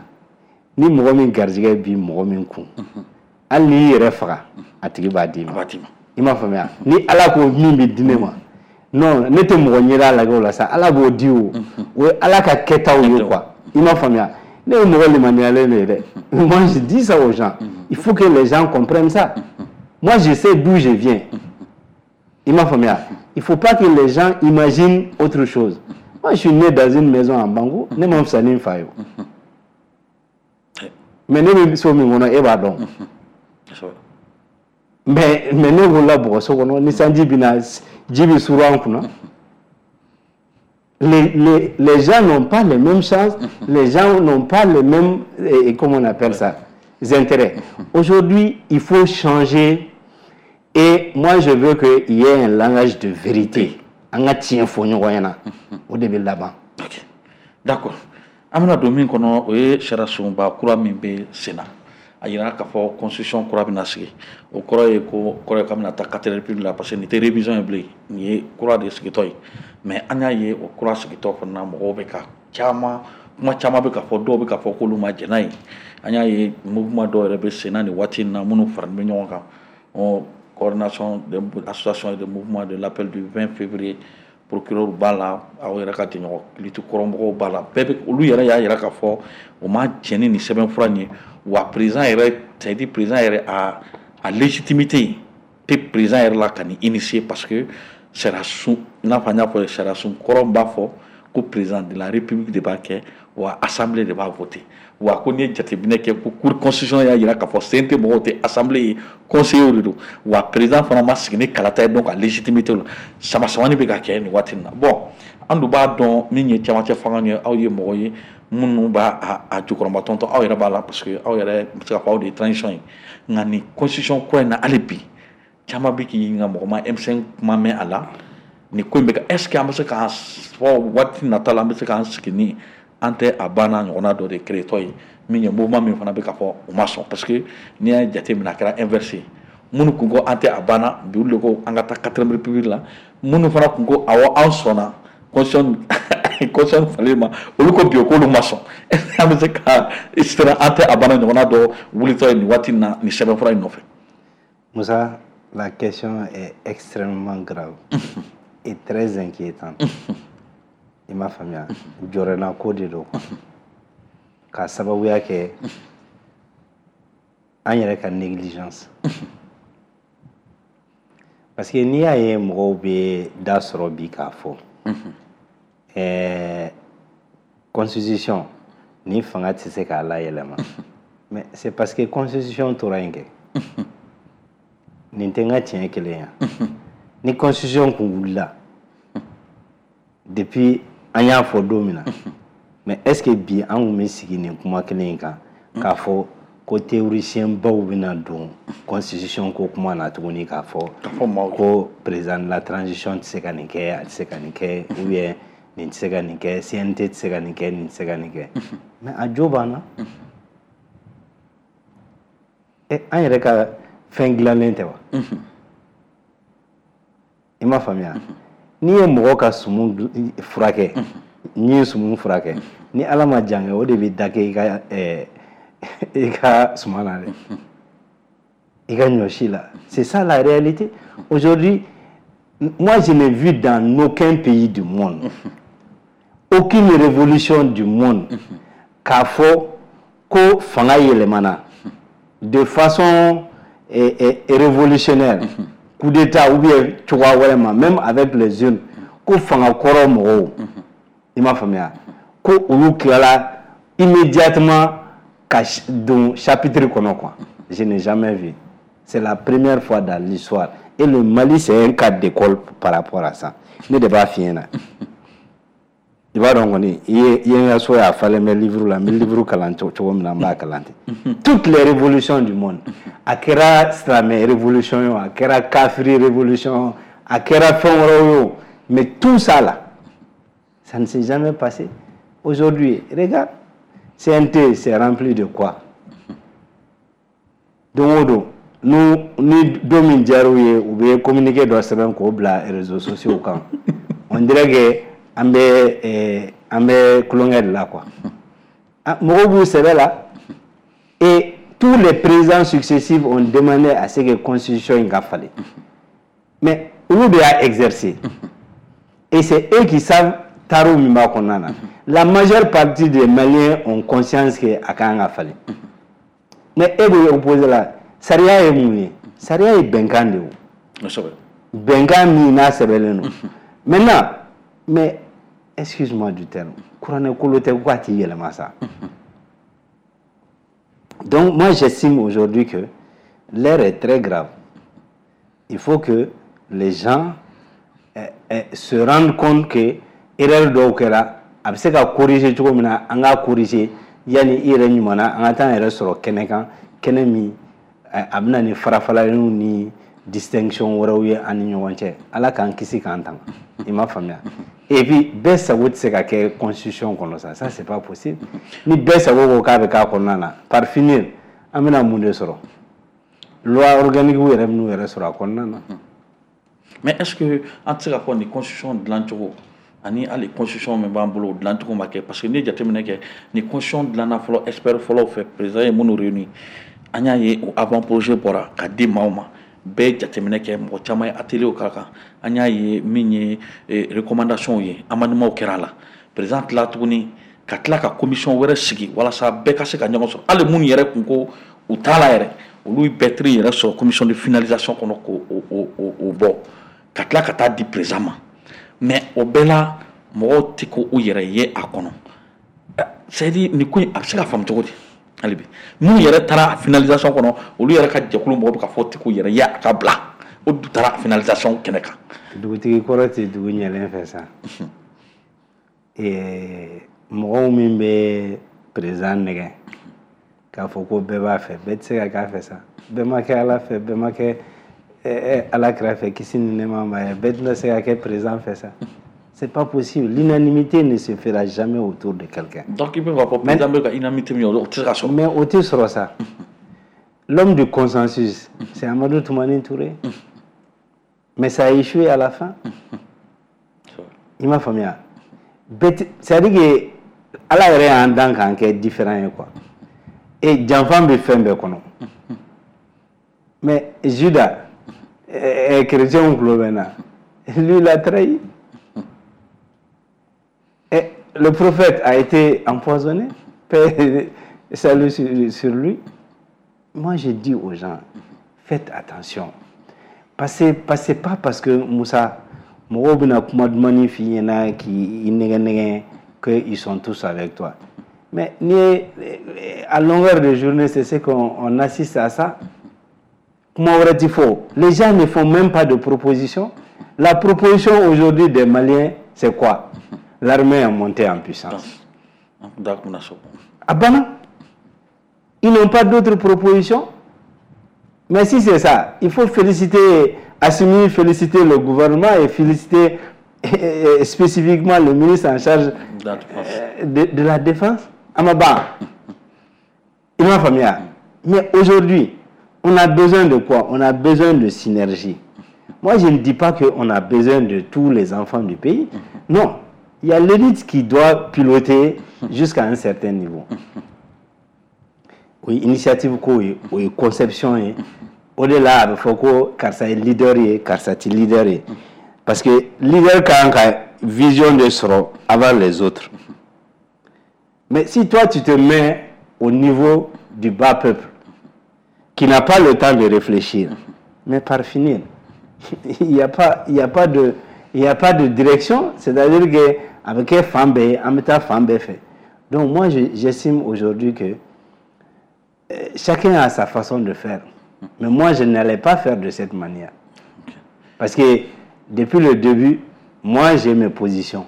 Ni mɔgɔ min garijɛgɛ bi mɔgɔ min kun, hali n'i y'i yɛrɛ faga, a tigi b'a d'i A ma. b'a d'i ma. I m'a faamuya? Ni Ala ko min bɛ di ne ma, non, ne tɛ mɔgɔ ɲɛda lajɛ o la sa, Ala b'o di o. O ye Ala ka kɛtaw ye quoi. I m'a faamuya? Ne ye mɔgɔ limaniyalen de ye dɛ. Moi, je dis ça aux gens. Il faut que les gens comprennent ça. Moi, je sais d'où je viens. I m'a faamuya? Il faut pas que les gens imaginent autre chose. Moi, je suis né dans une maison en Bango. Ne ma fisa ni n fa ye o. Mais ne bɛ so min kɔnɔ, e b'a dɔn. Mais ne wolola bɔgɔso kɔnɔ, ni sanji bɛ ji bɛ suru an kunna. Les gens n'ont pas les mêmes chances, les gens n'ont pas les mêmes, comment on appelle ça, intérêts. Aujourd'hui, il faut changer et moi, je veux qu'il y ait un langage de vérité. An ka tiɲɛ fɔ ɲɔgɔn ɲɛna, o de bɛ laban. Ok, d'accord. An bɛna don min kɔnɔ, o ye sariya sunba kura min bɛ sen na. A yira k'a fɔ constitution kura bɛna sigi. O kɔrɔ ye ko kɔrɔ ye k'an bɛna taa quatre république la, parce que nin tɛ révision ye bilen, nin ye kura de sigitɔ ye. Mais an y'a ye, o kura sigitɔ fana, mɔgɔw bɛ ka caman kuma caman bɛ ka fɔ, dɔw bɛ ka fɔ k'olu ma jɛn n'a ye. An y'a ye, mouvement dɔw yɛrɛ bɛ sen na nin waati in na, minnu faralen bɛ ɲɔgɔn kan, Coordination des associations et des mouvements de l'appel du 20 février. Procureur b'a la, aw yɛrɛ ka jɛɲɔgɔn lutte kɔrɔmɔgɔw b'a la, bɛɛ bɛ. Olu yɛrɛ y'a yira k'a fɔ o ma jɛn ni nin sɛbɛnfura in ye. Wa président yɛrɛ, c'est à dire président yɛrɛ a légitimité tɛ président yɛrɛ la ka nin initier, parce que sariya sun, i n'a fɔ an y'a fɔ, sariya sun kɔrɔ b'a fɔ ko président de la République de b'a kɛ, wa assemblée de b'a voter. Wa ko n'i ye jateminɛ kɛ, ko cour constitutionnelle y'a jira k'a fɔ CNT mɔgɔw tɛ assemblée ye, conseillers de don. Wa président fana ma sigi ni kalata ye, donc a légitimité la sama samani bɛ ka kɛ nin waati in na. Bon, an dun b'a dɔn min ye cɛmancɛ fanga ye, aw ye mɔgɔ ye minnu b'a a jukɔrɔmatɔntɔn, aw yɛrɛ b'a la, parce que aw yɛrɛ bɛ se ka fɔ aw de ye transition ye. Nka nin constitution kura in na, hali bi caman bɛ k'i ɲininka, mɔgɔ ma M5 kuma mɛn a la. Nin ko in bɛ kɛ, est ce que an bɛ se k'an fɔ waati nata la, an bɛ se k'an sigi ni an tɛ a banna ɲɔgɔnna dɔ de créer ye, min ye mouvement min fana bɛ ka fɔ u ma sɔn? Parce que n'i y'a jateminɛ, a kɛra inverse ye. Minnu kun ko an tɛ a banna, bi olu de ko an ka taa quatrième république la. Minnu fana kun ko awɔ, an sɔnna constitution falen ma, olu ko bi k'olu ma sɔn. Est ce que an bɛ se ka siran an tɛ a banna ɲɔgɔnna dɔ wulitɔ ye nin waati in na, nin sɛbɛnfura in nɔfɛ? Moussa, la question est extrêmement grave et très inquiétante. I m'a faamuya, jɔrɛna ko de don, k'a sababuya kɛ an yɛrɛ ka négligence. Parce que n'i y'a ye mɔgɔw bɛ da sɔrɔ bi k'a fɔ constitution ni fanga tɛ se k'a layɛlɛma, mais c'est parce que constitution tora yen kɛ. Nin tɛ n ka tiɲɛ kelen ya. Ni constitution kun wulila depuis an y'a fɔ don min na, mais est ce que bi an kun bɛ sigi nin kuma kelen in kan k'a fɔ ko théoricien baw bɛna don constitution ko kuma na tuguni, k'a fɔ ko président de la transition tɛ se ka nin kɛ, a tɛ se ka nin kɛ, ou bien nin tɛ se ka nin kɛ, CNT tɛ se ka nin kɛ, nin tɛ se ka nin kɛ? Mais a jo b'an na. An yɛrɛ ka fɛn dilannen tɛ wa? I m'a faamuya, n'i ye mɔgɔ ka sumu furakɛ, n'i ye sumu furakɛ, ni Ala ma jan kɛ, o de bɛ da kɛ i ka suma na dɛ, i ka ɲɔ si la. C'est ça la réalité aujourd'hui. Moi, je n'ai vu dans aucun pays du monde, aucune révolution du monde, k'a fɔ ko fanga yɛlɛmana de façon révolutionnaire, coup d'état ou bien cogoya wɛrɛ ma, même avec les jeunes, ko fanga kɔrɔ mɔgɔw, i m'a faamuya, ko olu tilala immédiatement ka don chapitre kɔnɔ quoi. Je n'ai jamais vu. C'est la première fois dans l'histoire et le Mali, c'est un cas d'école par rapport à ça. Ne de b'a f'i ɲɛna. I b'a dɔn kɔni, i ye n ka so ye, a falen bɛ livre la. N bɛ livre kalan cogo min na, n b'a kalan ten. Toutes les révolutions du monde, a kɛra silamɛ révolution ye o, a kɛra kafiri révolution, a kɛra fɛn wɛrɛw ye o, mais tout ça là, ça ne s'est jamais passé. Aujourd'hui, regarde, CNT, c'est rempli de quoi? Don o don, ni don min diyar'u ye, u bɛ communiqué dɔ sɛbɛn k'o bila réseaux sociaux kan. On dirait que an bɛ tulonkɛ de la quoi. Mɔgɔw b'u sɛbɛ la. Et tous les présidents successifs ont demandé à ce que constitution in ka falen, mais olu de y'a exercer et c'est eux qui savent. Taro min b'a kɔnɔna na, la majeure partie des Maliens ont conscience que a kan ka falen. Mais e bɛ opposé la, sariya ye mun ye? Sariya ye bɛnkan de ye o. Bɛnkan min n'a sɛbɛnlen don. Maintenant, mais excuse-moi du terme, kuranɛ kolo tɛ ko a t'i yɛlɛma sa. Donc moi, j'estime aujourd'hui que l'heure est très grave. Il faut que les gens se rendent compte que erreur dɔw kɛra, a bɛ se ka corriger cogo min na, an k'a corriger yanni i yɛrɛ ɲuman na an ka taa an yɛrɛ sɔrɔ kɛnɛ kan, kɛnɛ min a bɛ na ni farafaraliw ni distinction wɛrɛw ye an ni ɲɔgɔn cɛ. Ala k'an kisi k'an tanga. I m'a faamuya? Et puis bɛɛ sago tɛ se ka kɛ constitution kɔnɔ sa, ça c'est pas possible. Ni bɛɛ sago ko k'a bɛ k'a kɔnɔna na, par finir an bɛna mun de sɔrɔ? Loi organique yɛrɛ bɛn'u yɛrɛ sɔrɔ a kɔnɔna na. Mais est ce que an tɛ se k'a fɔ nin constitution dilancogo ani hali constitution min b'an bolo, o dilancogo ma kɛ? Parce que n'i ye jateminɛ kɛ, ni constitution dilanna fɔlɔ expert fɔlɔw fɛ, président ye minnu réuni, an y'a ye o avant projet bɔra ka di maaw ma, bɛɛ ye jateminɛ kɛ, mɔgɔ caman ye atelier k'a kan, an y'a ye min ye recommandation ye, amendement kɛra a la. Président tila tuguni ka tila ka commission wɛrɛ sigi walasa bɛɛ ka se ka ɲɔgɔn sɔrɔ. Hali minnu yɛrɛ kun ko u t'a la yɛrɛ, olu bɛɛ tiri yɛrɛ sɔrɔ commission de finalisation kɔnɔ k'o o bɔ ka tila ka taa di président ma. Mais o bɛɛ la, mɔgɔw tɛ ko u yɛrɛ ye a kɔnɔ. C'est à dire, nin ko in, a bɛ se ka faamu cogo di? Hali bi, minnu yɛrɛ taara finalisation kɔnɔ, olu yɛrɛ ka jɛkulu mɔgɔw bɛ ka fɔ tɛ k'u yɛrɛ ye a ka bila, o du taara finalisation kɛnɛ kan. Dugutigi kɔrɔ tɛ dugu ɲɛlen fɛ sa. Mɔgɔw min bɛ président nɛgɛ k'a fɔ ko bɛɛ b'a fɛ, bɛɛ tɛ se ka k'a fɛ sa. Bɛɛ ma kɛ Ala fɛ, bɛɛ ma kɛ Ala kira fɛ, kisi ni nɛɛma b'a ye. Bɛɛ tɛna se ka kɛ président fɛ sa. C'est pas possible. L'unanimité ne se fera jamais autour de quelqu'un. Donc i bɛ k'a fɔ président bɛ ka unanimité min, o tɛ se ka sɔrɔ. Mais o tɛ sɔrɔ sa. L'homme du consensus, c'est Amadou Toumani Touré. Mais ça a échoué à la fin. I m'a faamuya? C'est-à-dire que Ala yɛrɛ y'an dan k'an kɛ différent ye quoi. Et janfan bɛ fɛn bɛɛ kɔnɔ. Mais Judas, chrétien tulo bɛ n na, lui, il a trahi. Et le prophète a été empoisonné, paix salut sur lui. Moi, je dis aux gens, faites attention. Parce que c'est pas parce que Moussa, mɔgɔw bɛna kuma dumanni f'i ɲɛna k'i nɛgɛ nɛgɛ qu'ils sont tous avec toi. Mais ni à longueur de journée, c'est ce qu'on on assiste à ça. Kuma wɛrɛ ti fɔ. Les gens ne font même pas de proposition. La proposition aujourd'hui des Maliens, c'est quoi? L'armée est montée en puissance. A banna. Ils n'ont pas d'autres propositions. Mais si c'est ça, il faut féliciter Assimi, féliciter le gouvernement et féliciter spécifiquement le ministre en charge de la Défense, Amaba. I m'a faamuya? Mais aujourd'hui, on a besoin de quoi? On a besoin de synergie. Moi, je ne dis pas qu'on a besoin de tous les enfants du pays. Non. Il y a l'élite qui doit piloter jusqu'à un certain niveau. Oui, initiative ko ye, o ye conception ye. O de la a bɛ fɔ ko karisa ye leader ye, karisa ti leader ye. Parce que leader kan ka vision de sɔrɔ avant les autres. Mais si toi, tu te mets au niveau du bas peuple, qui n'a pas le temps de réfléchir, mais par finir, il n'y a pas de direction, c'est-à-dire que avec un fan bɛɛ, an bɛ taa fan bɛɛ fɛ. Donc moi, j'estime aujourd'hui que chacun a sa façon de faire. Mais moi, je n'allais pas faire de cette manière. Parce que depuis le début, moi, j'ai mes positions.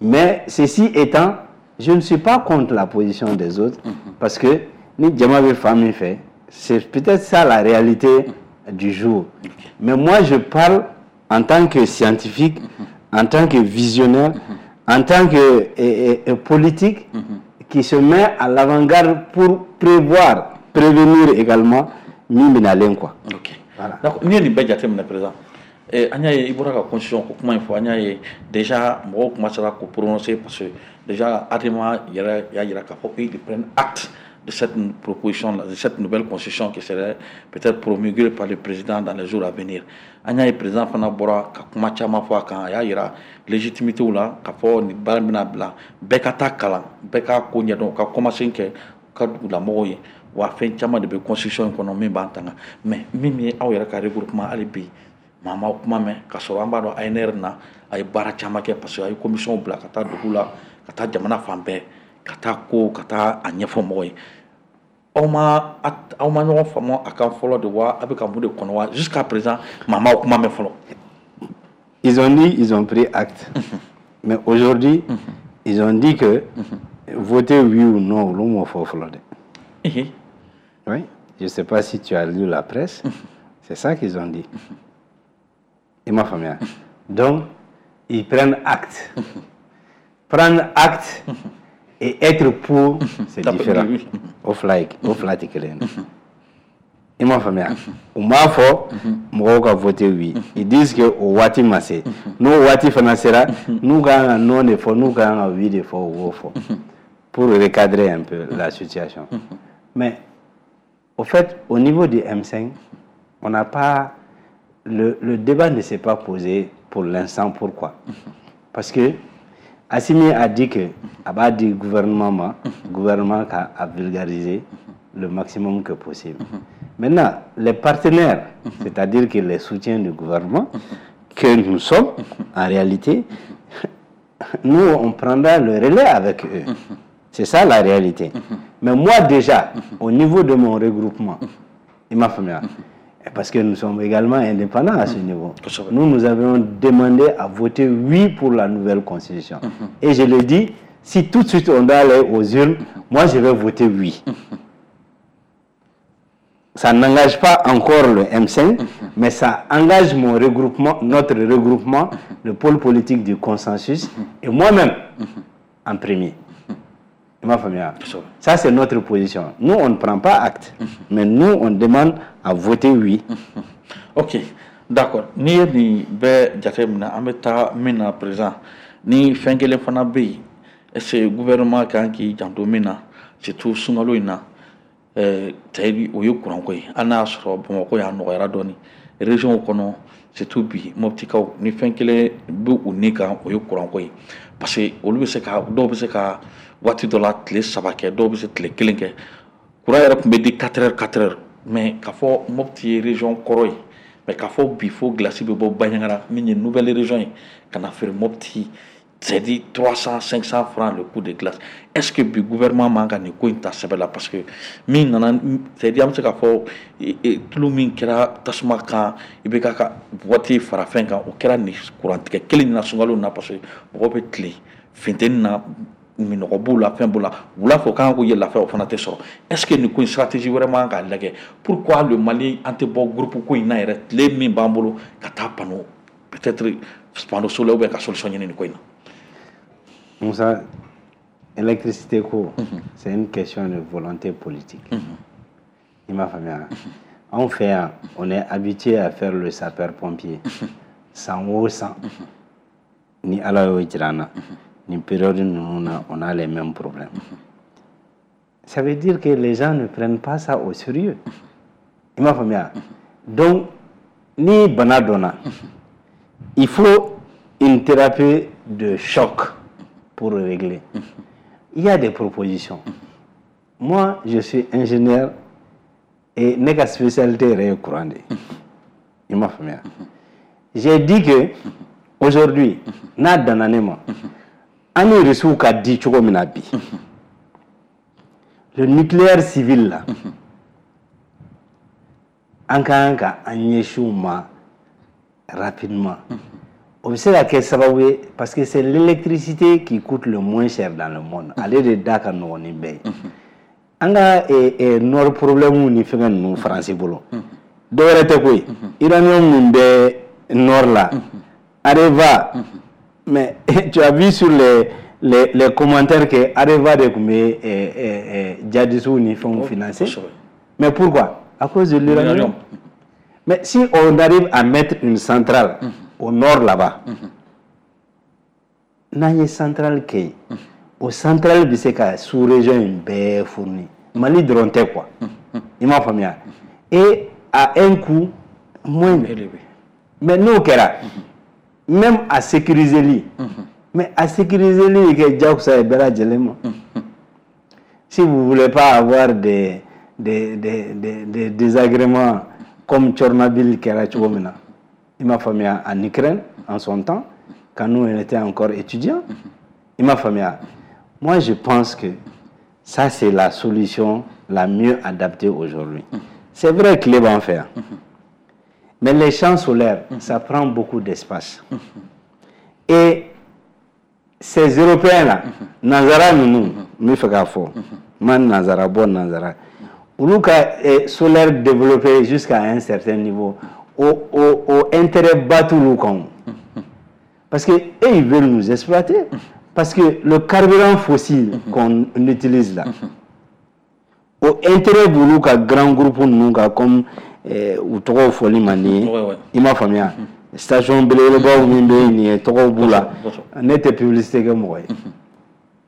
Mais ceci étant, je ne suis pas contre la position des autres, parce que ni jama bɛ fan min fɛ, c'est peut-être ça la réalité du jour. Mais moi, je parle en tant que scientifique, en tant que visionnaire, en tant que politique qui se met à l'avant-garde pour prévoir, prévenir également min bɛna len quoi. Ok. Voilà. D'accord. N'i ye nin bɛɛ jateminɛ, président, an y'a ye i bɔra ka constitution ko kuma in fɔ, an y'a ye déjà mɔgɔw commencera k'o prononcer, parce que déjà Adema yɛrɛ y'a jira k'a fɔ qu'ils prennent acte. de cette proposition, de cette nouvelle constitution qui serait peut-être promulguée par le président dans les jours à venir. An y'a ye, président fana bɔra ka kuma caman fɔ a kan. A y'a yira légitimité la k'a fɔ nin baara bɛna bila, bɛɛ ka taa kalan, bɛɛ k'a ko ɲɛdɔn, ka commencer kɛ ka dugulamɔgɔw ye. Wa fɛn caman de bɛ constitution in kɔnɔ min b'an tanga. Mais min ye aw yɛrɛ ka regroupement, hali bi maa ma kuma mɛn, k'a sɔrɔ an b'a dɔn ANR na a ye baara caman kɛ, parce que a ye commission bila ka taa dugu la, ka taa jamana fan bɛɛ, ka taa ko ka taa a ɲɛfɔ mɔgɔw ye. Aw ma ɲɔgɔn faamu a kan fɔlɔ de wa? A bɛ ka mun de kɔnɔ wa? Jusqu'à présent, maa m'aw kuma mɛn fɔlɔ. Ils ont dit, ils ont pris acte. Mais aujourd'hui, ils ont dit que voter oui ou non, olu m'o fɔ fɔlɔ dɛ. Oui, je ne sais pas si tu as lu la presse. C'est ça qu'ils ont dit. I m'a faamuya. Donc, ils prennent acte. Prendre acte et être pour, c'est différent. O fila ye, o fila tɛ kelen ye. I m'a faamuya. U m'a fɔ mɔgɔw ka voter oui. Ils disent que o waati ma se. N'o waati fana sera, n'u ka kan ka non de fɔ, n'u ka kan ka oui de fɔ, u b'o fɔ. Pour recadrer un peu la situation. Mais au fait, au niveau du M5, on n'a pas le débat ne s'est pas posé pour l'instant. Pourquoi? Parce que Assimi a dit que a b'a di gouvernement ma, gouvernement ka a vulgariser le maximum que possible. Maintenant, les partenaires, c'est-à-dire que les soutiens du gouvernement, que nous sommes, en réalité, nous, on prendra le relais avec eux. C'est ça la réalité. Mais moi déjà, au niveau de mon regroupement, i m'a faamuya, parce que nous sommes également indépendants à ce niveau. Nous, nous avions demandé à voter oui pour la nouvelle constitution. Et je le dis, si tout de suite on doit aller aux urnes, moi je vais voter oui. Ça n'engage pas encore le M5, mais ça engage mon regroupement, notre regroupement, le pôle politique du consensus, et moi-même en premier. I m'a faamuya. Ça, c'est notre position. Nous, on ne prend pas acte, mais nous, on demande à voter oui. Ok, d'accord. N'i ye nin bɛɛ jateminɛ, an bɛ taa min na président, ni fɛn kelen fana bɛ yen, est ce que gouvernement kan k'i janto min na, surtout sunkalo in na, c'est o ye kuranko ye. Hali n'a y'a sɔrɔ Bamakɔ yan nɔgɔyara dɔɔni, région kɔnɔ, surtout bi Moptikaw, ni fɛn kelen bɛ u ni kan, o ye kuranko ye, parce que olu bɛ se ka, dɔw bɛ se ka waati dɔ la tile 3 kɛ, dɔw bɛ se tile kelen kɛ. Courant yɛrɛ tun bɛ di 4 heures, 4 heures, mais k'a fɔ Mopti ye région kɔrɔ ye, mais k'a fɔ bi fo glace bɛ bɔ Bandiagara min ye nouvelle région ye ka na feere Mopti, c'est dit 300, 500 francs le coup de glace. Est ce que bi gouvernement man ka nin ko in ta sɛbɛ la? Parce que min nana, c'est dit an bɛ se k'a fɔ tulu min kɛra tasuma kan, i bɛ ka waati fara fɛn kan, o kɛra nin kurantigɛ kelen in na sunkalo in na, parce que mɔgɔw bɛ tile funteni na, minɔgɔ b'u la, fɛn b'u la, wula fɛ u kan k'u yɛlɛ lafiya, o fana tɛ sɔrɔ. Est ce que nin ko in stratégie wɛrɛ man k'a lajɛ? Pourquoi le Mali an tɛ bɔ groupe ko in na yɛrɛ, tile min b'an bolo ka taa panneau, peut-être panneau solaire, ou bien ka solution ɲini nin ko in na? Moussa, électricité ko, c'est une question de volonté politique. I m'a faamuya. Anw fɛ yan, on est habitué à faire le sapeur-pompier. San o san, ni Ala y'o jira an na, nin période ninnu na, on a les mêmes problèmes. Ça veut dire que les gens ne prennent pas ça au sérieux. I m'a faamuya. Donc, ni bana donna, il faut une thérapie de choc pour régler. Il y a des propositions. Moi, je suis ingénieur et ne ka spécialité yɛrɛ ye courant de ye. I m'a faamuya. J'ai dit que aujourd'hui, n'a danna ne ma, an ni Rusiw ka di cogo min na bi, le nucléaire civil là, an ka kan ka an ɲɛsin u ma rapidement. O bɛ se ka kɛ sababu ye, parce que c'est l'électricité qui coûte le moins cher dans le monde. Ale de da ka nɔgɔn ni bɛɛ ye. An ka nord problème ni fɛngɛ ninnu Faransi bolo, dɔ wɛrɛ tɛ koyi, uranium min bɛ nord la, Areva. Mais tu as vu sur les commentaires que Areva de tun bɛ djihadistes ni fɛnw financer. Mais pourquoi? À cause de l'uranium. Mais si on arrive à mettre une centrale au nord là-bas, n'an ye centrale kɛ yen, o centrale bɛ se ka sous-région in bɛɛ fournir. Mali dɔrɔn tɛ quoi. I m'a faamuya? Et à un coût moindre. Mais n'o kɛra, même a sécuriseli, mais a sécuriseli bɛ kɛ diyagosa ye bɛɛ lajɛlen ma. Si vous voulez pas avoir des désagréments comme Tchernobyl kɛra cogo min na, i m'a faamuya, en Ukraine en son temps, quand nous on était encore étudiants, i m'a faamuya? Moi, je pense que ça, c'est la solution la mieux adaptée aujourd'hui. C'est vrai, tile b'an fɛ yan, mais les champs solaires, ça prend beaucoup d'espace. Et ces Européens là, nanzara ninnu, n bɛ fɛ k'a fɔ, n ma nanzara bɔ nanzara, olu ka solaire développé jusqu'à un certain niveau, o intérêt ba t'olu kan o. Parce que eux, ils veulent nous exploiter. Parce que le carburant fossile qu'on utilise là, o intérêt b'olu ka grand groupe ninnu kan, comme u tɔgɔw fɔli man di n ye. I m'a faamuya? Station belebelebaw min bɛ yen nin ye, tɔgɔw b'u la. Ne tɛ publicité kɛ mɔgɔ ye,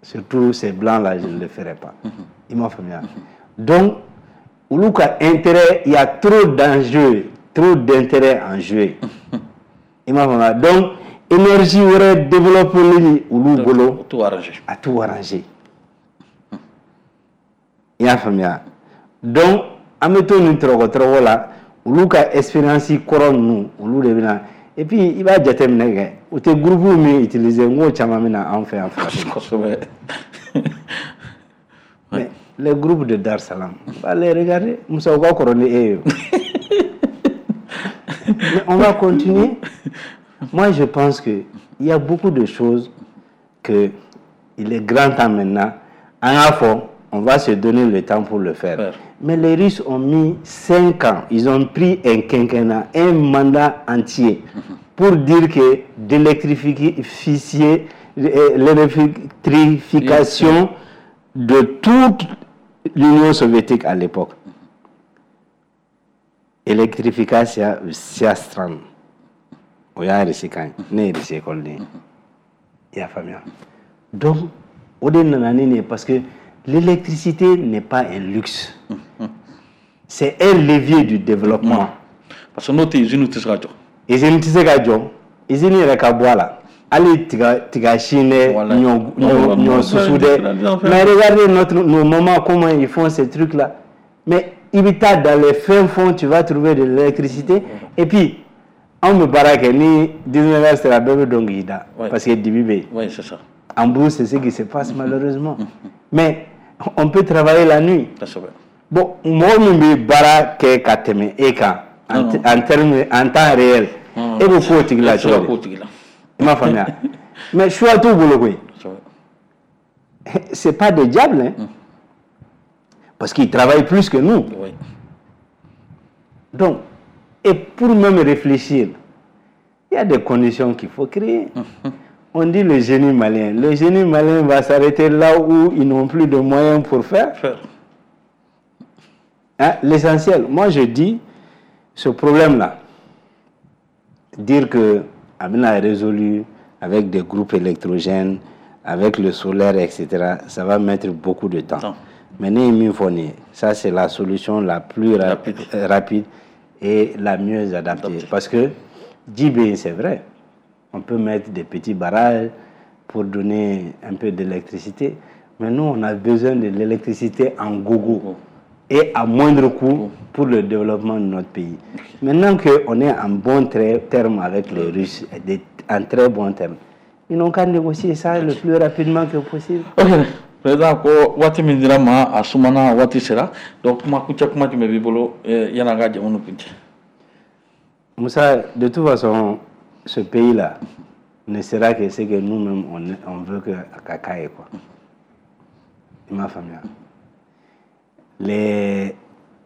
surtout ces blancs là, je ne le ferai pas. I m'a faamuya? Donc olu ka intérêt, il y a trop d'enjeux, trop d'intérêt en jeu. I m'a faamuya? Donc énergie wɛrɛ développé olu bolo, a t'u arranger. I y'a faamuya? Donc an bɛ to nin tɔrɔgɔ tɔrɔgɔ la, olu ka expérience kɔrɔ ninnu, olu de bɛ na. Et puis i b'a jateminɛ kɛ, u tɛ groupe min utiliser, n k'o caman bɛ na anw fɛ yan farafinna. Mais les groupes de Dar Salam, va les regarder. Musa, u ka kɔrɔ ni e ye. Mais on va continuer. Moi, je pense que il y a beaucoup de choses que il est grand temps maintenant. An k'a fɔ, on va se donner le temps pour le faire. Mais les Russes ont mis 5 ans, ils ont pris un quinquennat, un mandat entier pour dire que d'électrifier l'électrification de toute l'Union soviétique à l'époque. Электрификация всех стран. O y'a Russie kan ye, ne ye Russie école ye. I y'a faamuya? Donc o de nana ni nin ye, parce que l'électricité n'est pas un luxe, c'est un levier du développement. Parce que n'o tɛ, usine tɛ se ka jɔ. Usine tɛ se ka jɔ, usine yɛrɛ ka bɔ a la, hali tiga tiga sin dɛ, ɲɔ ɲɔ ɲɔ susu dɛ. Mais regardez nos mamans, comment ils font ces trucs là. Mais i bɛ taa dans les fins fonds, tu vas trouver de l'électricité. Et puis anw bɛ baara kɛ ni 19 heures sera, bɛɛ bɛ don k'i da, parce que dibi bɛ yen. Oui, c'est ça. En brousse, c'est ce qui se passe malheureusement, mais on peut travailler la nuit. Bon, mɔgɔ min bɛ baara kɛ ka tɛmɛ e kan en terme, en temps réel, e bɛ k'o tigi la cogo di? I m'a faamuya? Mais choix t'u bolo koyi. C'est pas des diables, hein, parce qu'ils travaillent plus que nous. Donc, et pour même réfléchir, il y a des conditions qu'il faut créer. On dit le génie malien. Le génie malien va s'arrêter là où ils n'ont plus de moyens pour faire. Hein? L'essentiel, moi je dis, ce problème-là, dire que a bɛna résolu avec des groupes électrogènes, avec le solaire, etc., ça va mettre beaucoup de temps. Mais ne ye min fɔ nin ye, ça, c'est la solution la plus rapide et la mieux adaptée. Parce que ji bɛ yen, c'est vrai, on peut mettre des petits barrages pour donner un peu d'électricité, mais nous, on a besoin de l'électricité en gogo et à moindre coût pour le développement de notre pays. Maintenant qu'on est en bon terme avec les Russes, en très bon terme, ils n'ont qu'à négocier ça le plus rapidement que possible. Ok, président, ko waati min dira ma, a sumana, waati sera. Donc kuma kuncɛ kuma jumɛn b'i bolo yan'an ka jamu kuncɛ? Moussa, de toute façon, ce pays-là ne sera que ce que nous-mêmes on veut que a ka ye, quoi. I m'a faamuya?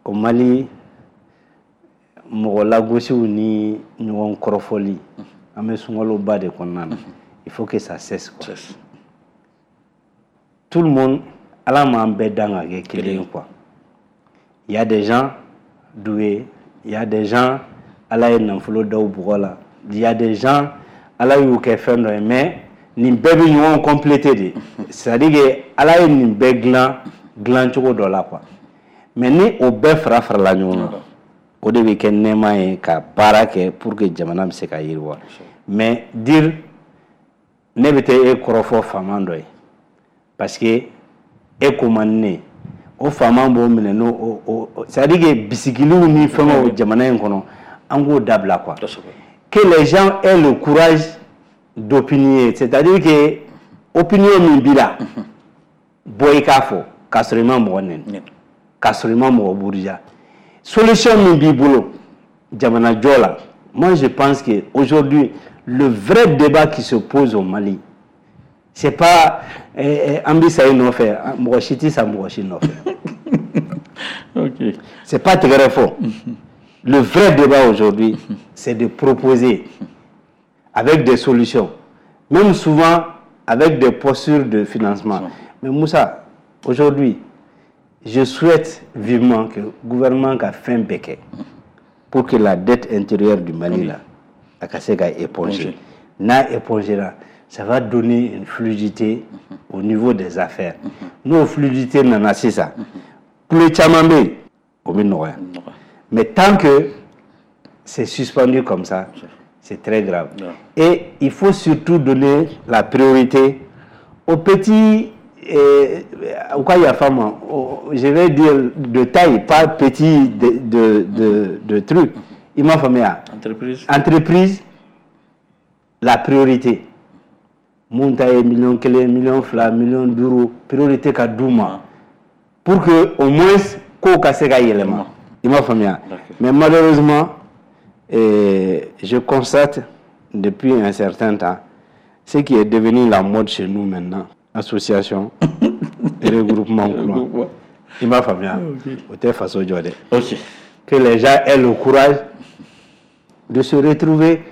Au Mali, mɔgɔ lagosiw ni ɲɔgɔn kɔrɔfɔli, an bɛ sunkaloba de kɔnɔna na, il faut que ça cesse, quoi. Tout le monde, Ala m'an bɛɛ dan ka kɛ kelen ye, quoi. Il y a des gens doués, il y a des gens, Ala ye nafolo daw bɔgɔ la, il y a des gens, Ala y'u kɛ fɛn dɔ ye, mais nin bɛɛ bɛ ɲɔgɔn compléter de. C'est à dire que Ala ye nin bɛɛ dilan dilan cogo dɔ la, quoi. Mais ni o bɛɛ fara farala ɲɔgɔn kan, o de bɛ kɛ nɛɛma ye ka baara kɛ pour que jamana bɛ se ka yiriwa. Mais dire ne bɛ taa e kɔrɔfɔ faama dɔ ye parce que e ko man di ne ye, o faama b'o minɛ n'o o, c'est à dire que bisigiliw ni fɛngɛw jamana in kɔnɔ, an k'o dabila quoi. Que les gens aient le courage d'opinier, c'est-à-dire que opinion min b'i la, bɔ i k'a fɔ k'a sɔrɔ i ma mɔgɔ nɛni, k'a sɔrɔ i ma mɔgɔ buruja. Solution min b'i bolo jamana jɔ la, moi je pense que aujourd'hui le vrai débat qui se pose au Mali, c'est pas an bɛ sa i nɔfɛ, mɔgɔ si tɛ sa mɔgɔ si nɔfɛ. C'est pas tɛgɛrɛ fɔ. Le vrai débat aujourd'hui, c'est de proposer avec des solutions, même souvent avec des postures de financement. Mais Moussa, aujourd'hui, je souhaite vivement que le gouvernement ka fɛn bɛɛ kɛ pour que la dette intérieure du Mali là, a ka se ka éponger. N'a épongera, ça va donner une fluidité au niveau des affaires. N'o fluidité nana sisan, kule caman bɛ yen, o bɛ nɔgɔya. Mais tant que c'est suspendu comme ça, c'est très grave. Et il faut surtout donner la priorité aux petits, u ka yafa ma, je vais dire de taille, pas petit de truc. I m'a faamuya? Entreprise. Entreprise, la priorité. Mun ta ye miliyɔn 1, miliyɔn 2, miliyɔn 5, priorité ka d'u ma pour que au moins kow ka se ka yɛlɛma. I m'a faamuya? Mais malheureusement, je constate depuis un certain temps ce qui est devenu la mode chez nous maintenant, association et regroupement kura. I m'a faamuya? O tɛ faso jɔ dɛ. Que les gens aient le courage de se retrouver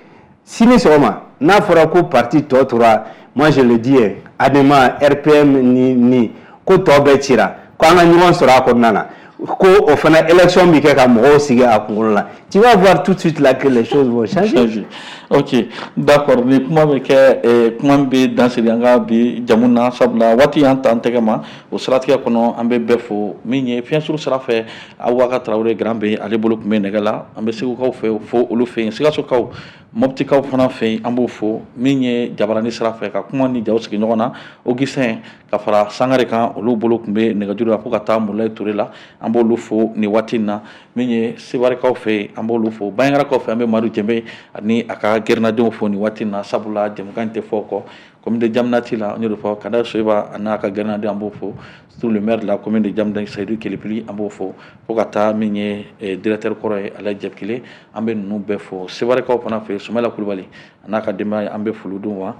sini sɔgɔma n'a fɔra ko parti tɔ tora, moi je le dis, ADEMA, RPM ni ko tɔ bɛɛ cira, ko an ka ɲɔgɔn sɔrɔ a kɔnɔna na, ko o fana élection bɛ kɛ ka mɔgɔw sigi a kunkolo la, tu vas voir tout de suite là que les choses vont changer. Changer. Ok, d'accord. Ni kuma bɛ kɛ kuma min bɛ dan sigi an ka bi jamu na, sabula waati y'an ta an tɛgɛ ma. O siratigɛ kɔnɔ, an bɛ bɛɛ fo. Min ye fiɲɛsuru sira fɛ, Abubakar Tarawele Grand bɛ ale bolo tun bɛ nɛgɛ la. An bɛ Segukaw fɛ fo, olu fɛ yen, Sikasokaw, Moptikaw fana fɛ yen, an b'o fo. Min ye jabarani sira fɛ ka kuma ni jaw sigi ɲɔgɔn na, Augustin ka fara Sangare kan, olu bolo tun bɛ nɛgɛjuru la fo ka taa Mulayi Ture la, an b'olu fo nin waati in na. Min ye Sebarikaw fɛ yen, an b'olu fo. Bandiagarakaw fɛ, an bɛ Madu Jɛnbe ani a ka gɛrɛnadenw fo nin waati in na, sabula jɛmukan in tɛ fɔ o kɔ. Commune de Diaminati la, n y'o de fɔ, Kada Soyiba a n'a ka gɛrɛnaden, an b'o fo. Surtout le maire de la commune de Diaminati, Seyidu Kelipili, an b'o fo. Fo ka taa min ye directeur kɔrɔ ye, Alayi Jɛkile, an bɛ ninnu bɛɛ fo. Sebarikaw fana fɛ, Sumayila Kulubali a n'a ka denbaya, an bɛ foli d'u ma.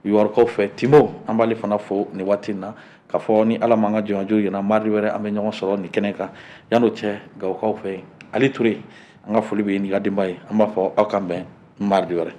Yɔrɔkaw fɛ, Timo, an b'ale fana fo nin waati in na. K'a fɔ ni Ala m'an ka jɔnjɔn yira, mardi wɛrɛ an bɛ ɲɔgɔn sɔrɔ nin kɛnɛ kan. Yan'o cɛ, Gawokaw fɛ yen, Ali Ture, an ka foli bɛ n'i ka denbaya ye. An b'a fɔ aw k'an bɛn mardi wɛrɛ.